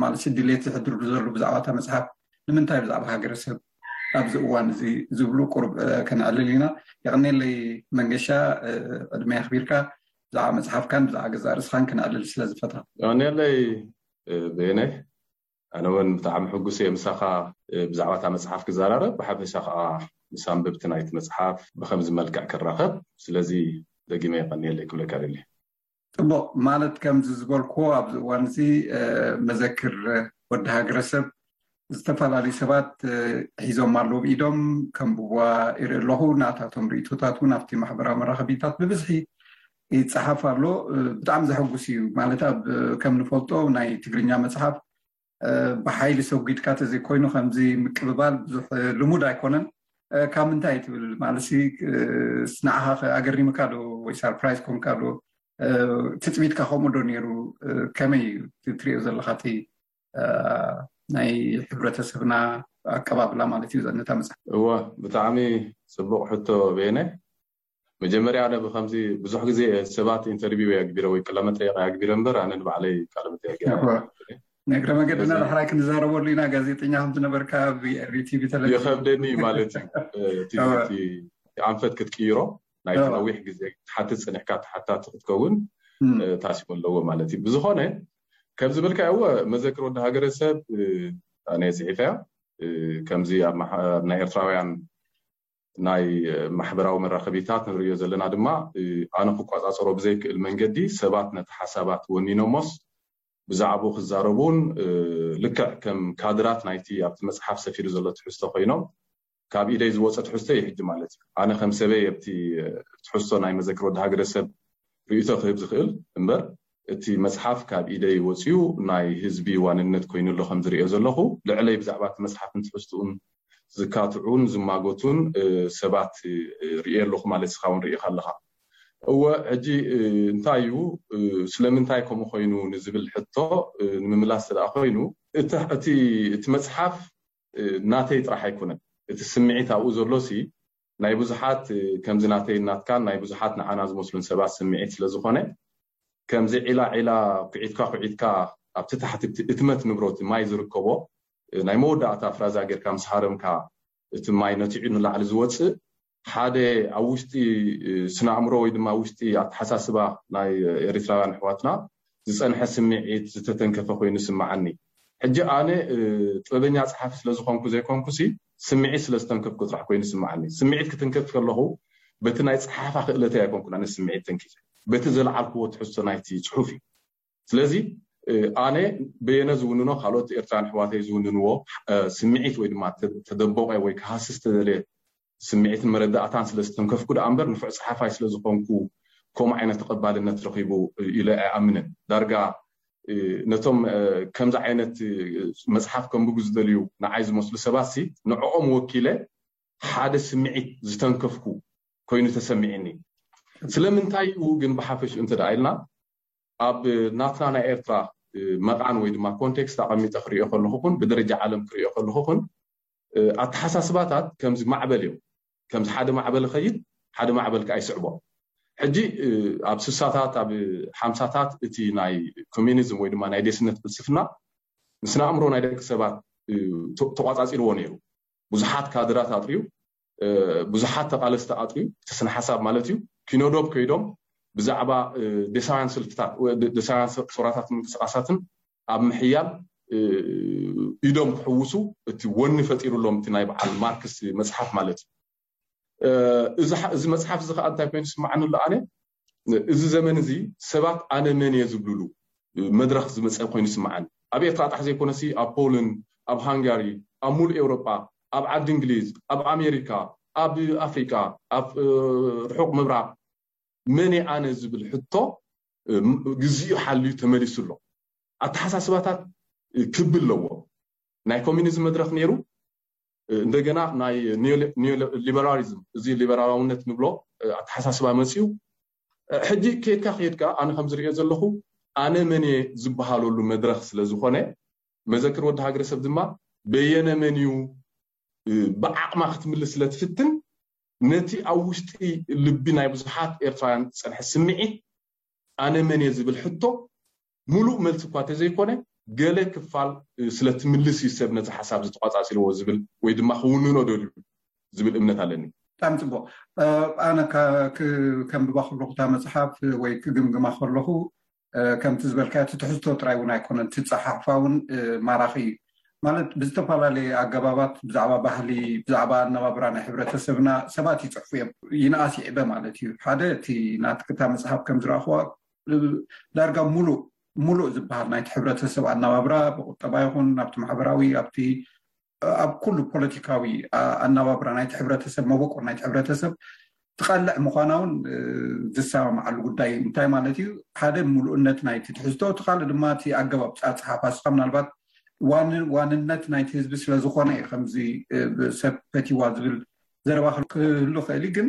ማለት ድሌት ዝሕድርሉ ዘሎ ብዛዕባ እታ መፅሓፍ፣ ንምንታይ ብዛዕባ ሃገረሰብ ኣብዚ እዋን እዚ ዝብሉ ቁሩብ ከነዕልል ኢና። የቐኔለይ መንገሻ፣ ዕድመ ኣኽቢርካ ብዛዕባ መፅሓፍካን ብዛዕባ ገዛእ ርእስኻን ከነዕልል ስለ ዝፈትኻ። የቐኔለይ በየነ፣ ኣነ እውን ብጣዕሚ ሕጉስ እየ ምሳኻ ብዛዕባ እታ መፅሓፍ ክዘራረብ፣ ብሓፈሻ ከዓ ምስ ኣንበብቲ ናይቲ መፅሓፍ ብከምዚ መልክዕ ክራኸብ። ስለዚ ደጊመ የቐንየለይ ክብለካ ደልየ። ፅቡቕ። ማለት ከምዚ ዝበልክዎ ኣብዚ እዋን እዚ መዘክር ወዲ ሃገረሰብ ዝተፈላለዩ ሰባት ሒዞም ኣለዉ ብኢዶም፣ ከንብብዋ ይርኢ ኣለኹ። ናታቶም ርእይቶታት እውን ኣብቲ ማሕበራዊ መራኸቢታት ብብዝሒ ይፀሓፍ ኣሎ። ብጣዕሚ ዘሐጉስ እዩ። ማለት ኣብ ከም ንፈልጦ ናይ ትግርኛ መፅሓፍ ብሓይሊ ሰጒድካ ተዘይኮይኑ ከምዚ ምቅብባል ብዙሕ ልሙድ ኣይኮነን። ካብ ምንታይ ትብል ማለት ንዓኻ ኣገሪምካ ዶ ወይ ሳርፕራይዝ ኮንካ ዶ? ትፅቢትካ ከምኡ ዶ ነይሩ? ከመይ እዩ ትሪኦ ዘለካ እቲ ናይ ሕብረተሰብና ኣቀባብላ ማለት እዩ ነታ መፅሓፍ? እወ፣ ብጣዕሚ ፅቡቕ ሕቶ በየነ። መጀመርያ ኣነ ብከምዚ ብዙሕ ግዜ ሰባት ኢንተርቪው የግቢረ ወይ ቃለመጠየቕ የግቢረ እምበር ኣነ ንባዕለይ ቃለመጠየቕ ንእግረ መገድና ዳሕራይ ክንዛረበሉ ኢና። ጋዜጠኛ ከም ዝነበርካ ኣብ ቲቪ ተለቪ ይኸብደኒ ማለት እዩ። እቲ ኣንፈት ክትቅይሮ ናይቲ ነዊሕ ግዜ ክትሓትት ፅኒሕካ ተሓታቲ ክትከውን ታሲሙ ኣለዎ ማለት እዩ። ብዝኾነ ከም ዝበልካ እወ መዘክር ወዲ ሃገረሰብ ኣነ ፅሒፈያ ከምዚ ኣብ ናይ ኤርትራውያን ናይ ማሕበራዊ መራኸቢታት ንርእዮ ዘለና ድማ ኣነ ክቋፃፀሮ ብዘይክእል መንገዲ ሰባት ነቲ ሓሳባት ወኒኖሞስ ብዛዕባኡ ክዛረቡን ልክዕ ከም ካድራት ናይቲ ኣብቲ መፅሓፍ ሰፊሩ ዘሎ ትሕዝቶ ኮይኖም ካብ ኢደይ ዝወፀ ትሕዝቶ እዩ ሕጂ ማለት እዩ። ኣነ ከም ሰበይ ኣብቲ ትሕዝቶ ናይ መዘክር ወዲ ሃገረሰብ ርእይቶ ክህብ ዝኽእል እምበር እቲ መፅሓፍ ካብ ኢደይ ወፅዩ ናይ ህዝቢ ዋንነት ኮይኑ ኣሎ ከም ዝርእዮ ዘለኹ ልዕለይ ብዛዕባ እቲ መፅሓፍን ትሕዝትኡን ዝካትዑን ዝማጎቱን ሰባት ርእየ ኣለኹ ማለት ስኻ እውን ርእኻ ኣለኻ። እወ ሕጂ እንታይ እዩ ስለምንታይ ከምኡ ኮይኑ ንዝብል ሕቶ ንምምላስ ስለ ኮይኑ እቲ መፅሓፍ ናተይ ጥራሕ ኣይኮነን። እቲ ስምዒት ኣብኡ ዘሎ ሲ ናይ ብዙሓት ከምዚ ናተይ ናትካን ናይ ብዙሓት ንዓና ዝመስሉን ሰባት ስምዒት ስለ ዝኾነ ከምዚ ዒላ ዒላ ኩዒትካ ኩዒትካ ኣብቲ ታሕቲ እቲ እትመት ንብሮ እቲ ማይ ዝርከቦ ናይ መወዳእታ ፍራዛ ጌርካ ምስ ሃረምካ እቲ ማይ ነቲዑ ንላዕሊ ዝወፅእ ሓደ ኣብ ውሽጢ ስነ ኣእምሮ ወይ ድማ ውሽጢ ኣተሓሳስባ ናይ ኤርትራውያን ኣሕዋትና ዝፀንሐ ስምዒት ዝተተንከፈ ኮይኑ ይስምዓኒ። ሕጂ ኣነ ጥበበኛ ፀሓፊ ስለዝኾንኩ ዘይኮንኩሲ ስምዒት ስለዝተንከፍኩ ጥራሕ ኮይኑ ይስምዓኒ። ስምዒት ክትንከፍ ከለኹ በቲ ናይ ፀሓፋ ክእለተይ ኣይኮንኩን ኣነ ስምዒት ተንኪፈ በቲ ዘልዓልክዎ ትሕዝቶ ናይቲ ፅሑፍ እዩ። ስለዚ ኣነ በየነ ዝውንኖ ካልኦት ኤርትራን ኣሕዋተይ ዝውንንዎ ስምዒት ወይ ድማ ተደበቐ ወይ ክሃስስ ተደልየ ስምዒትን መረዳእታን ስለ ዝተንከፍኩ ደኣ እምበር ንፉዕ ጸሓፋይ ስለ ዝኾንኩ ከምኡ ዓይነት ተቐባልነት ረኺቡ ኢለ ኣይኣምንን። ዳርጋ ነቶም ከምዚ ዓይነት መጽሓፍ ከንብቡ ዝደልዩ ንዓይ ዝመስሉ ሰባት ሲ ንዕኦም ወኪለ ሓደ ስምዒት ዝተንከፍኩ ኮይኑ ተሰሚዕኒ። ስለምንታይ እዩ ግን ብሓፈሽ እንተ ደኣ ኢልና ኣብ ናትና ናይ ኤርትራ መቓን ወይ ድማ ኮንቴክስት ኣቐሚጠ ክሪኦ ከለኹ ኹን ብደረጃ ዓለም ክሪኦ ከለኹ ኹን ኣተሓሳስባታት ከምዚ ማዕበል እዮም። ከምዚ ሓደ ማዕበል ኸይድ ሓደ ማዕበል ከዓ ይስዕቦ። ሕጂ ኣብ ስሳታት ኣብ ሓምሳታት እቲ ናይ ኮሚኒዝም ወይ ድማ ናይ ዴስነት ፍልስፍና ንስነ ኣእምሮ ናይ ደቂ ሰባት ተቋፃፂርዎ ነይሩ። ብዙሓት ካድራት ኣጥርዩ፣ ብዙሓት ተቓለስቲ ኣጥርዩ፣ እቲ ስነ ሓሳብ ማለት እዩ። ኪኖዶብ ከይዶም ብዛዕባ ደሳውያን ስልትታት፣ ደሳውያን ሶራታት ምንቅስቃሳትን ኣብ ምሕያል ኢዶም ክሕውሱ እቲ ወኒ ፈጢሩሎም እቲ ናይ በዓል ማርክስ መፅሓፍ ማለት እዩ። እዚ መፅሓፍ እዚ ከዓ እንታይ ኮይኑ ስምዓኒ ኣሎ ኣነ እዚ ዘመን እዚ ሰባት ኣነ መን እየ ዝብልሉ መድረኽ ዝመፀ ኮይኑ ይስምዓኒ። ኣብ ኤርትራ ጣሕ ዘይኮነሲ ኣብ ፖልን፣ ኣብ ሃንጋሪ፣ ኣብ ሙሉእ ኤውሮጳ፣ ኣብ ዓዲ እንግሊዝ፣ ኣብ ኣሜሪካ፣ ኣብ ኣፍሪቃ፣ ኣብ ርሑቕ ምብራቕ መን እየ ኣነ ዝብል ሕቶ ግዜኡ ሓልዩ ተመሊሱ ኣሎ። ኣተሓሳስባታት ክቢ ኣለዎ። ናይ ኮሚኒዝም መድረኽ ነይሩ፣ እንደገና ናይ ሊበራሊዝም እዚ ሊበራላውነት ንብሎ ኣተሓሳስባ መፅዩ። ሕጂ ከይድካ ከይድካ ኣነ ከም ዝርእዮ ዘለኹ ኣነ መን እየ ዝበሃለሉ መድረኽ ስለ ዝኾነ መዘክር ወዲ ሃገረሰብ ድማ በየነ መን እዩ ብዓቕማ ክትምልስ ስለ ትፍትን ነቲ ኣብ ውሽጢ ልቢ ናይ ብዙሓት ኤርትራውያን ዝፀንሐ ስምዒት ኣነ መን እየ ዝብል ሕቶ ሙሉእ መልሲ እኳ ተዘይኮነ ገለ ክፋል ስለ ትምልስ እዩ ሰብ ነዚ ሓሳብ ዝተቋፃፂርዎ ዝብል ወይ ድማ ክውንኖ ደልዩ ዝብል እምነት ኣለኒ። ብጣዕሚ ፅቡቅ። ኣነ ከንብባ ከለኹ እታ መፅሓፍ ወይ ክግምግማ ከለኹ ከምቲ ዝበልካዮ እቲ ትሕዝቶ ጥራይ እውን ኣይኮነን፣ እቲ ፀሓሕፋ እውን ማራኺ እዩ። ማለት ብዝተፈላለየ ኣገባባት ብዛዕባ ባህሊ፣ ብዛዕባ ኣነባብራ ናይ ሕብረተሰብና ሰባት ይፅሕፉ እዮም። ይንኣስ ይዕበ ማለት እዩ። ሓደ እቲ ናትክታ መፅሓፍ ከም ዝረኣኽዋ ዳርጋ ሙሉእ ሙሉእ ዝበሃል ናይቲ ሕብረተሰብ ኣነባብራ ብቁጠባ ይኹን ኣብቲ ማሕበራዊ ኣብቲ ኣብ ኩሉ ፖለቲካዊ ኣነባብራ ናይቲ ሕብረተሰብ መበቆል ናይቲ ሕብረተሰብ ትቐልዕ ምዃና እውን ዝሰማማዓሉ ጉዳይ እዩ። እንታይ ማለት እዩ? ሓደ ምሉእነት ናይቲ ትሕዝቶ፣ እቲ ካልእ ድማ እቲ ኣገባብ ፃፅሓፋ ስኻ ምናልባት ዋንነት ናይቲ ህዝቢ ስለ ዝኾነ እዩ ከምዚ ሰብ ፈቲዋ ዝብል ዘረባ ክህሉ ክእል እዩ። ግን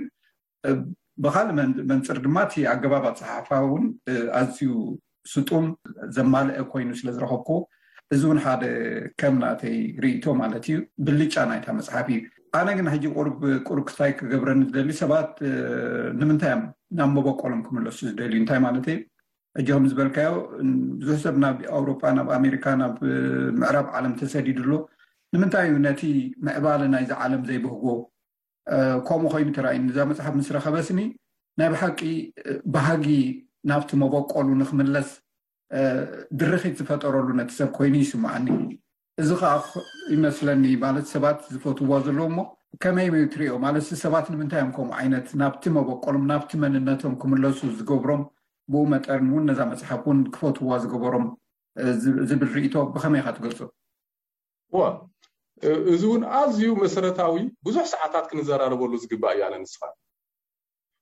ብካልእ መንፅር ድማ እቲ ኣገባብ ኣፀሓሕፋ እውን ኣዝዩ ስጡም ዘማልአ ኮይኑ ስለ ዝረኸብኩ እዚ እውን ሓደ ከም ናተይ ርእይቶ ማለት እዩ ብልጫ ናይታ መፅሓፍ እዩ። ኣነ ግን ሕጂ ቁሩብ ቁሩብ ክስታይ ክገብረኒ ዝደሊ ሰባት ንምንታይ እዮም ናብ መበቆሎም ክምለሱ ዝደልዩ እንታይ ማለት እዩ? ሕጂ ከም ዝበልካዮ ብዙሕ ሰብ ናብ ኣውሮጳ ናብ ኣሜሪካ ናብ ምዕራብ ዓለም ተሰዲዱ ኣሎ። ንምንታይ እዩ ነቲ ምዕባለ ናይዚ ዓለም ዘይብህጎ? ከምኡ ኮይኑ ተራእዩኒ እዛ መፅሓፍ ምስ ረኸበስኒ ናይ ብሓቂ ባህጊ ናብቲ መበቆሉ ንክምለስ ድርኺት ዝፈጠረሉ ነቲ ሰብ ኮይኑ ይስምዓኒ። እዚ ከዓ ይመስለኒ ማለት ሰባት ዝፈትዋ ዘለዉ እሞ ከመይ እዩ ትሪኦ? ማለት ሰባት ንምንታይ እዮም ከምኡ ዓይነት ናብቲ መበቆሎም ናብቲ መንነቶም ክምለሱ ዝገብሮም፣ ብኡ መጠን እውን ነዛ መፅሓፍ እውን ክፈትዋ ዝገበሮም ዝብል ርእቶ ብኸመይ ኢኻ ትገልፆ? ዋ እዚ እውን ኣዝዩ መሰረታዊ ብዙሕ ሰዓታት ክንዘራረበሉ ዝግባእ እዩ ኣነ ንስኻ።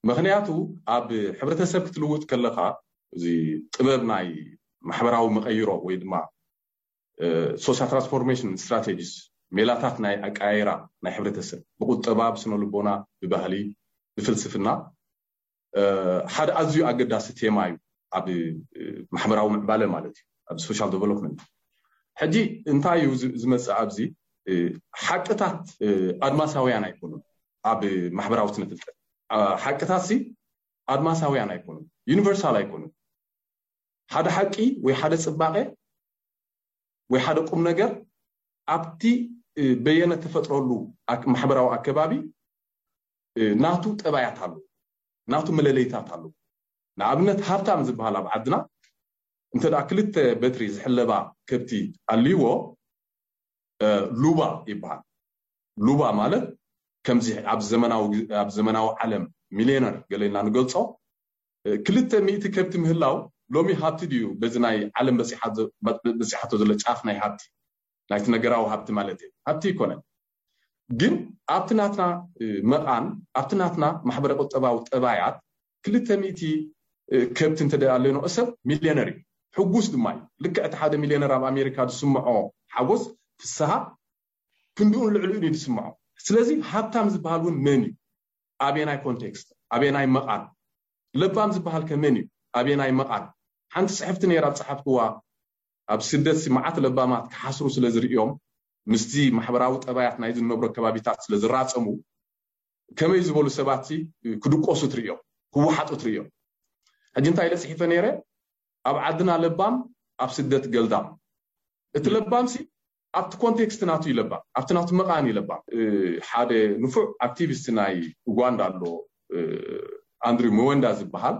ምክንያቱ ኣብ ሕብረተሰብ ክትልውጥ ከለኻ እዚ ጥበብ ናይ ማሕበራዊ መቐይሮ ወይ ድማ social transformation strategies፣ ሜላታት ናይ ኣቀያይራ ናይ ሕብረተሰብ ብቁጠባ፣ ብስነ ልቦና፣ ብባህሊ፣ ብፍልስፍና ሓደ ኣዝዩ ኣገዳሲ ቴማ እዩ ኣብ ማሕበራዊ ምዕባለ ማለት እዩ ኣብ social development። ሕጂ እንታይ እዩ ዝመፅእ ኣብዚ? ሓቅታት ኣድማሳውያን ኣይኮኑን። ኣብ ማሕበራዊ ስነ ፍልጠት ሓቅታት ሲ ኣድማሳውያን ኣይኮኑን፣ ዩኒቨርሳል ኣይኮኑን። ሓደ ሓቂ ወይ ሓደ ፅባቐ ወይ ሓደ ቁም ነገር ኣብቲ በየነ ተፈጥረሉ ማሕበራዊ ኣከባቢ ናቱ ጠባያት ኣሎ፣ ናቱ መለለይታት ኣሎ። ንኣብነት ሃብታም ዝበሃል ኣብ ዓድና እንተ ክልተ በትሪ ዝሕለባ ከብቲ ኣልይዎ ሉባ ይበሃል። ሉባ ማለት ከምዚ ኣብ ዘመናዊ ዓለም ሚሊዮነር ገለ ኢልና ንገልፆ ክልተ ሚእቲ ከብቲ ምህላው ሎሚ ሃብቲ ድዩ? በዚ ናይ ዓለም በፂሓቶ ዘሎ ጫፍ ናይ ሃብቲ ናይቲ ነገራዊ ሃብቲ ማለት እዩ። ሃብቲ ይኮነን። ግን ኣብቲ ናትና መቓን ኣብቲ ናትና ማሕበረ ቁጠባዊ ጠባያት ክልተ ሚእቲ ከብቲ እንተ ኣለኖ ሰብ ሚሊዮነር እዩ። ሕጉስ ድማ እዩ። ልክዕ እቲ ሓደ ሚሊዮነር ኣብ ኣሜሪካ ዝስምዖ ሓጎስ ፍስሃ ክንድኡን ልዕሊኡን እዩ ዝስምዖ። ስለዚ ሃብታም ዝበሃል እውን መን እዩ? ኣበየናይ ኮንቴክስት ኣበየናይ መቓን? ለባም ዝበሃል ከ መን እዩ? ኣበየናይ መቓን? ሓንቲ ፅሕፍቲ ነይራ ዝፀሓፍክዋ ኣብ ስደት ሲ መዓት ለባማት ክሓስሩ ስለ ዝርእዮም ምስቲ ማሕበራዊ ጠባያት ናይ ዝነብሮ ከባቢታት ስለ ዝራፀሙ ከመይ ዝበሉ ሰባት ሲ ክድቆሱ ትርእዮም፣ ክወሓጡ ትርእዮም። ሕጂ እንታይ ኢለ ፅሒፈ ነይረ? ኣብ ዓድና ለባም ኣብ ስደት ገልዳም። እቲ ለባም ሲ ኣብቲ ኮንቴክስት ናቱ ይለባም ኣብቲ ናቱ መቓን ይለባም። ሓደ ንፉዕ ኣክቲቪስት ናይ ኡጋንዳ ኣሎ ኣንድሪው መወንዳ ዝበሃል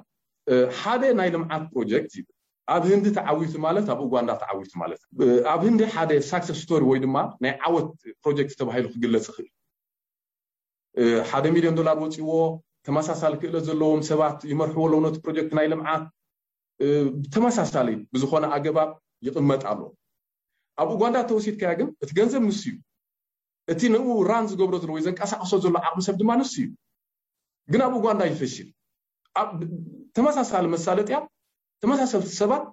ሓደ ናይ ልምዓት ፕሮጀክት ይብል ኣብ ህንዲ ተዓዊቱ ማለት ኣብ ኡጋንዳ ተዓዊቱ ማለት ኣብ ህንዲ ሓደ ሳክሰስ ስቶሪ ወይ ድማ ናይ ዓወት ፕሮጀክት ተባሂሉ ክግለፅ ይኽእል። ሓደ ሚሊዮን ዶላር ወፂዎ ተመሳሳሊ ክእለት ዘለዎም ሰባት ይመርሕዎ ኣለዉ ነቲ ፕሮጀክት ናይ ልምዓት ተመሳሳሊ ብዝኾነ ኣገባብ ይቕመጥ ኣሎ። ኣብ ኡጋንዳ ተወሲድካያ ግን እቲ ገንዘብ ንሱ እዩ። እቲ ንኡ ራን ዝገብሮ ዘሎ ወይ ዘንቀሳቅሶ ዘሎ ዓቕሚ ሰብ ድማ ንሱ እዩ። ግን ኣብ ኡጋንዳ ይፈሽል። ተመሳሳሊ መሳለጥያ ተመሳሰልቲ ሰባት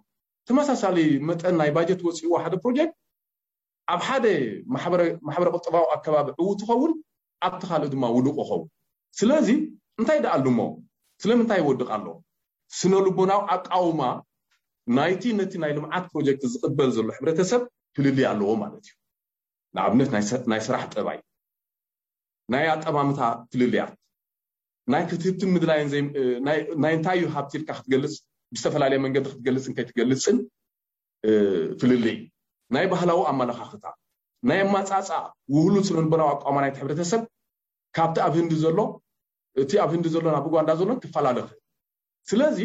ተመሳሳሊ መጠን ናይ ባጀት ወፂእዎ ሓደ ፕሮጀክት ኣብ ሓደ ማሕበረ ቁጠባዊ ኣከባቢ ዕው ትኸውን ኣብቲ ካልእ ድማ ውዱቕ ይኸውን። ስለዚ እንታይ ደኣ ኣሉሞ ስለምንታይ ይወድቕ ኣሎ? ስነ ልቦናዊ ኣቃውማ ናይቲ ነቲ ናይ ልምዓት ፕሮጀክት ዝቕበል ዘሎ ሕብረተሰብ ፍልልይ ኣለዎ ማለት እዩ። ንኣብነት ናይ ስራሕ ጠባይ፣ ናይ ኣጠማምታ ፍልልያት፣ ናይ ክትህብትን ምድላይን ናይ እንታይ እዩ ሃብቲ ኢልካ ክትገልፅ ብዝተፈላለየ መንገዲ ክትገልፅን ከይትገልፅን ፍልልይ፣ ናይ ባህላዊ ኣመለኻኽታ፣ ናይ ኣማፃፃ ውህሉል ስነ ልቦናዊ ኣቋማ ናይቲ ሕብረተሰብ ካብቲ ኣብ ህንዲ ዘሎ እቲ ኣብ ህንዲ ዘሎ ናብ ኡጋንዳ ዘሎን ክፈላለ ይኽእል። ስለዚ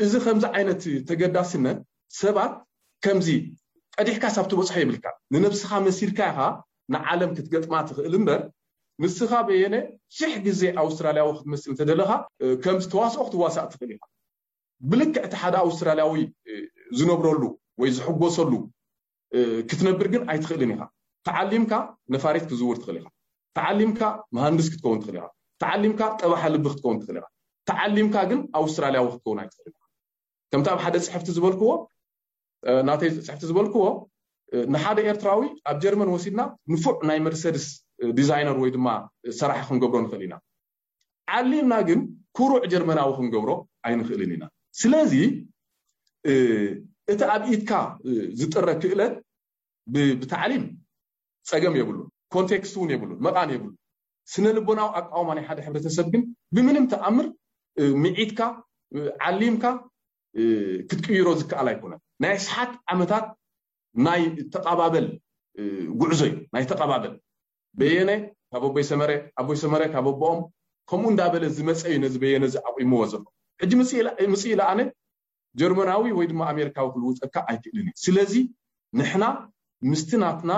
እዚ ከምዚ ዓይነት ተገዳስነት ሰባት ከምዚ ቀዲሕካ ሳብ ትበፅሖ የብልካ። ንነብስኻ መሲልካ ኢኻ ንዓለም ክትገጥማ ትኽእል እምበር ንስኻ በየነ ሽሕ ግዜ ኣውስትራልያዊ ክትመስል እንተደለኻ ከምዚ ተዋስኦ ክትዋሳእ ትኽእል ኢኻ። ብልክዕ እቲ ሓደ ኣውስትራልያዊ ዝነብረሉ ወይ ዝሕጎሰሉ ክትነብር ግን ኣይትኽእልን ኢኻ። ተዓሊምካ ነፋሪት ክትዝውር ትኽእል ኢኻ። ተዓሊምካ መሃንድስ ክትከውን ትኽእል ኢኻ። ተዓሊምካ ጠባሓ ልቢ ክትከውን ትኽእል ኢኻ። ተዓሊምካ ግን ኣውስትራልያዊ ክትከውን ኣይትኽእልን ኢኻ። ከምቲ ኣብ ሓደ ፅሕፍቲ ዝበልክዎ ናተይ ፅሕፍቲ ዝበልክዎ ንሓደ ኤርትራዊ ኣብ ጀርመን ወሲድና ንፉዕ ናይ መርሰድስ ዲዛይነር ወይ ድማ ሰራሒ ክንገብሮ ንኽእል ኢና። ዓሊምና ግን ኩሩዕ ጀርመናዊ ክንገብሮ ኣይንኽእልን ኢና። ስለዚ እቲ ኣብ ኢድካ ዝጥረ ክእለት ብታዕሊም ፀገም የብሉን፣ ኮንቴክስት እውን የብሉን፣ መቓን የብሉን። ስነ ልቦናዊ ኣቃውማ ናይ ሓደ ሕብረተሰብ ግን ብምንም ተኣምር ምዒትካ ዓሊምካ ክትቅይሮ ዝከኣል ኣይኮነን። ናይ ኣስሓት ዓመታት ናይ ተቓባበል ጉዕዞ እዩ። ናይ ተቓባበል በየነ ካብ ኣቦይ ሰመረ፣ ኣቦይ ሰመረ ካብ ኣቦኦም ከምኡ እንዳበለ ዝመፀ እዩ ነዚ በየነ እዚ ኣቑምዎ ዘሎ። ሕጂ ምፅእ ኢለ ኣነ ጀርመናዊ ወይ ድማ ኣሜሪካዊ ክልውጠካ ኣይክእልን እዩ። ስለዚ ንሕና ምስቲ ናትና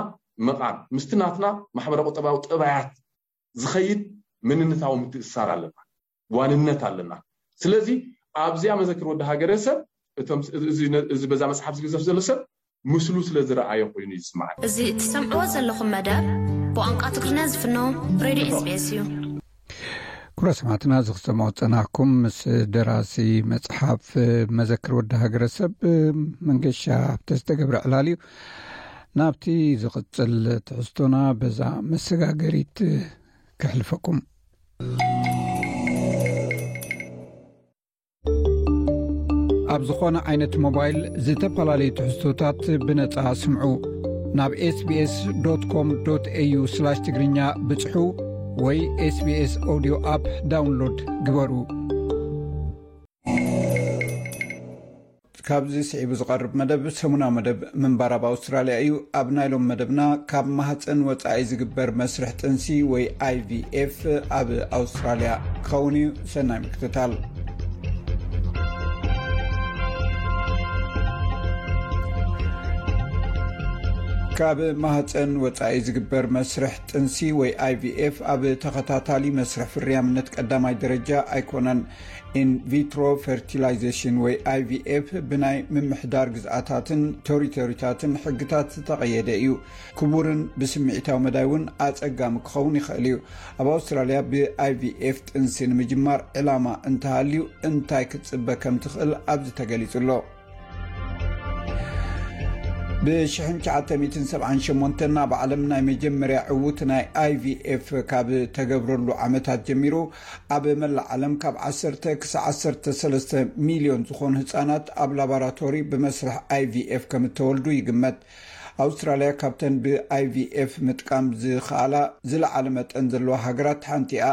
ምቓም፣ ምስቲ ናትና ማሕበረ ቁጠባዊ ጠባያት ዝኸይድ መንነታዊ ምትእስሳር ኣለና፣ ዋንነት ኣለና። ስለዚ ኣብዚኣ መዘክር ወዲ ሃገረሰብ እቶም እዚ በዛ መጽሓፍ ዝግዘፍ ዘሎ ሰብ ምስሉ ስለ ዝረኣዮ ኮይኑ ይስማዓኒ። እዚ ትሰምዕዎ ዘለኹም መደብ ብቋንቋ ትግርኛ ዝፍኖ ሬድዮ ኤስቢኤስ እዩ። ክቡራት ሰማዕትና፣ እዚ ክሰምዖ ዝጸናሕኩም ምስ ደራሲ መጽሓፍ መዘክር ወዲ ሃገረሰብ መንገሻ ሃብተ ዝተገብረ ዕላል እዩ። ናብቲ ዝቕጽል ትሕዝቶና በዛ መሰጋገሪት ከሕልፈኩም። ኣብ ዝኾነ ዓይነት ሞባይል ዝተፈላለዩ ትሕዝቶታት ብነጻ ስምዑ። ናብ ኤስቢኤስ ዶት ኮም ዶት ኤዩ ስላሽ ትግርኛ ብጽሑ ወይ ኤስቢኤስ ኦዲዮ ኣፕ ዳውንሎድ ግበሩ። ካብዚ ስዒቡ ዝቐርብ መደብ ሰሙናዊ መደብ ምንባር ኣብ ኣውስትራልያ እዩ። ኣብ ናይ ሎም መደብና ካብ ማህፀን ወፃኢ ዝግበር መስርሕ ጥንሲ ወይ ኣይቪኤፍ ኣብ ኣውስትራልያ ክኸውን እዩ። ሰናይ ምክትታል። ካብ ማህፀን ወፃኢ ዝግበር መስርሕ ጥንሲ ወይ ኣይቪኤፍ ኣብ ተኸታታሊ መስርሕ ፍርያምነት ቀዳማይ ደረጃ ኣይኮነን። ኢንቪትሮ ፈርቲላይዜሽን ወይ ኣይቪኤፍ ብናይ ምምሕዳር ግዝኣታትን ቴሪቶሪታትን ሕግታት ዝተቐየደ እዩ። ክቡርን ብስምዒታዊ መዳይ እውን ኣጸጋሚ ክኸውን ይኽእል እዩ። ኣብ ኣውስትራልያ ብኣይቪኤፍ ጥንሲ ንምጅማር ዕላማ እንተሃልዩ እንታይ ክትጽበ ከም ትኽእል ኣብዚ ተገሊጹ ኣሎ። ብ ሽሕን ትሽዓተ ሚእትን ሰብዓን ሸሞንተን ኣብ ዓለም ናይ መጀመርያ ዕዉት ናይ ኣይቪኤፍ ካብ ተገብረሉ ዓመታት ጀሚሩ ኣብ መላእ ዓለም ካብ ዓሰርተ ክሳብ ዓሰርተ ሰለስተ ሚልዮን ዝኾኑ ህጻናት ኣብ ላቦራቶሪ ብመስርሕ ኣይቪኤፍ ከም እተወልዱ ይግመት። ኣውስትራልያ ካብተን ብኣይቪኤፍ ምጥቃም ዝኸኣላ ዝለዓለ መጠን ዘለዋ ሃገራት ሓንቲ እያ።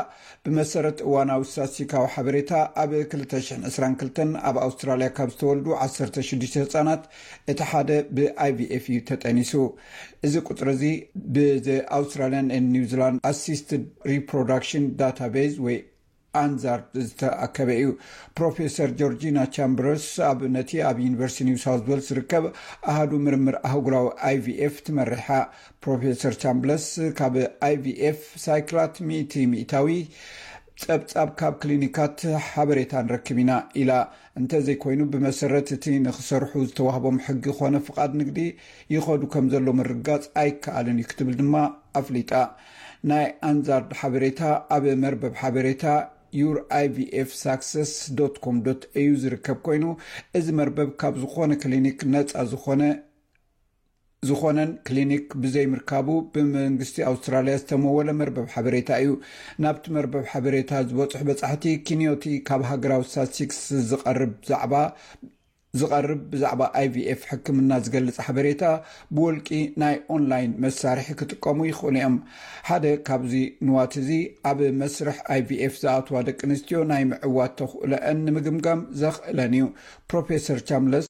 ብመሰረት እዋናዊ ስታትስቲካዊ ሓበሬታ፣ ኣብ ክልተ ሽሕን ዕስራን ክልተን ኣብ ኣውስትራልያ ካብ ዝተወልዱ ዓሰርተ ሽዱሽተ ህጻናት እቲ ሓደ ብኣይቪኤፍ እዩ ተጠኒሱ። እዚ ቁጽሪ እዚ ብ Australian and New Zealand Assisted Reproduction Database ወይ ኣንዛርድ ዝተኣከበ እዩ። ፕሮፌሰር ጆርጂና ቻምበርስ ኣብ ነቲ ኣብ ዩኒቨርሲቲ ኒው ሳውዝ ዌልስ ዝርከብ ኣሃዱ ምርምር ኣህጉራዊ ኣይቪኤፍ ትመርሕ እያ። ፕሮፌሰር ቻምብለስ ካብ ኣይቪኤፍ ሳይክላት ሚእቲ ሚእታዊ ጸብጻብ ካብ ክሊኒካት ሓበሬታ ንረክብ ኢና ኢላ። እንተዘይኮይኑ ብመሰረት እቲ ንክሰርሑ ዝተዋህቦም ሕጊ ኮነ ፍቓድ ንግዲ ይኸዱ ከም ዘሎ ምርጋጽ ኣይከኣልን እዩ ክትብል ድማ ኣፍሊጣ። ናይ ኣንዛርድ ሓበሬታ ኣብ መርበብ ሓበሬታ your I V F success dot com dot A U ዝርከብ ኮይኑ፣ እዚ መርበብ ካብ ዝኾነ ክሊኒክ ነጻ ዝኾነ ዝኾነን ክሊኒክ ብዘይምርካቡ ብመንግስቲ ኣውስትራልያ ዝተመወለ መርበብ ሓበሬታ እዩ። ናብቲ መርበብ ሓበሬታ ዝበጽሑ በጻሕቲ ኪንዮቲ ካብ ሃገራዊ ስታትስቲክስ ዝቐርብ ዛዕባ ዝቐርብ ብዛዕባ I V F ሕክምና ዝገልጽ ሓበሬታ ብወልቂ ናይ ኦንላይን መሳርሒ ክጥቀሙ ይኽእሉ እዮም። ሓደ ካብዚ ንዋት እዚ ኣብ መስርሕ I V F ዝኣትዋ ደቂ ኣንስትዮ ናይ ምዕዋት ተኽእሎአን ንምግምጋም ዘኽእለን እዩ። ፕሮፌሰር ቻምለስ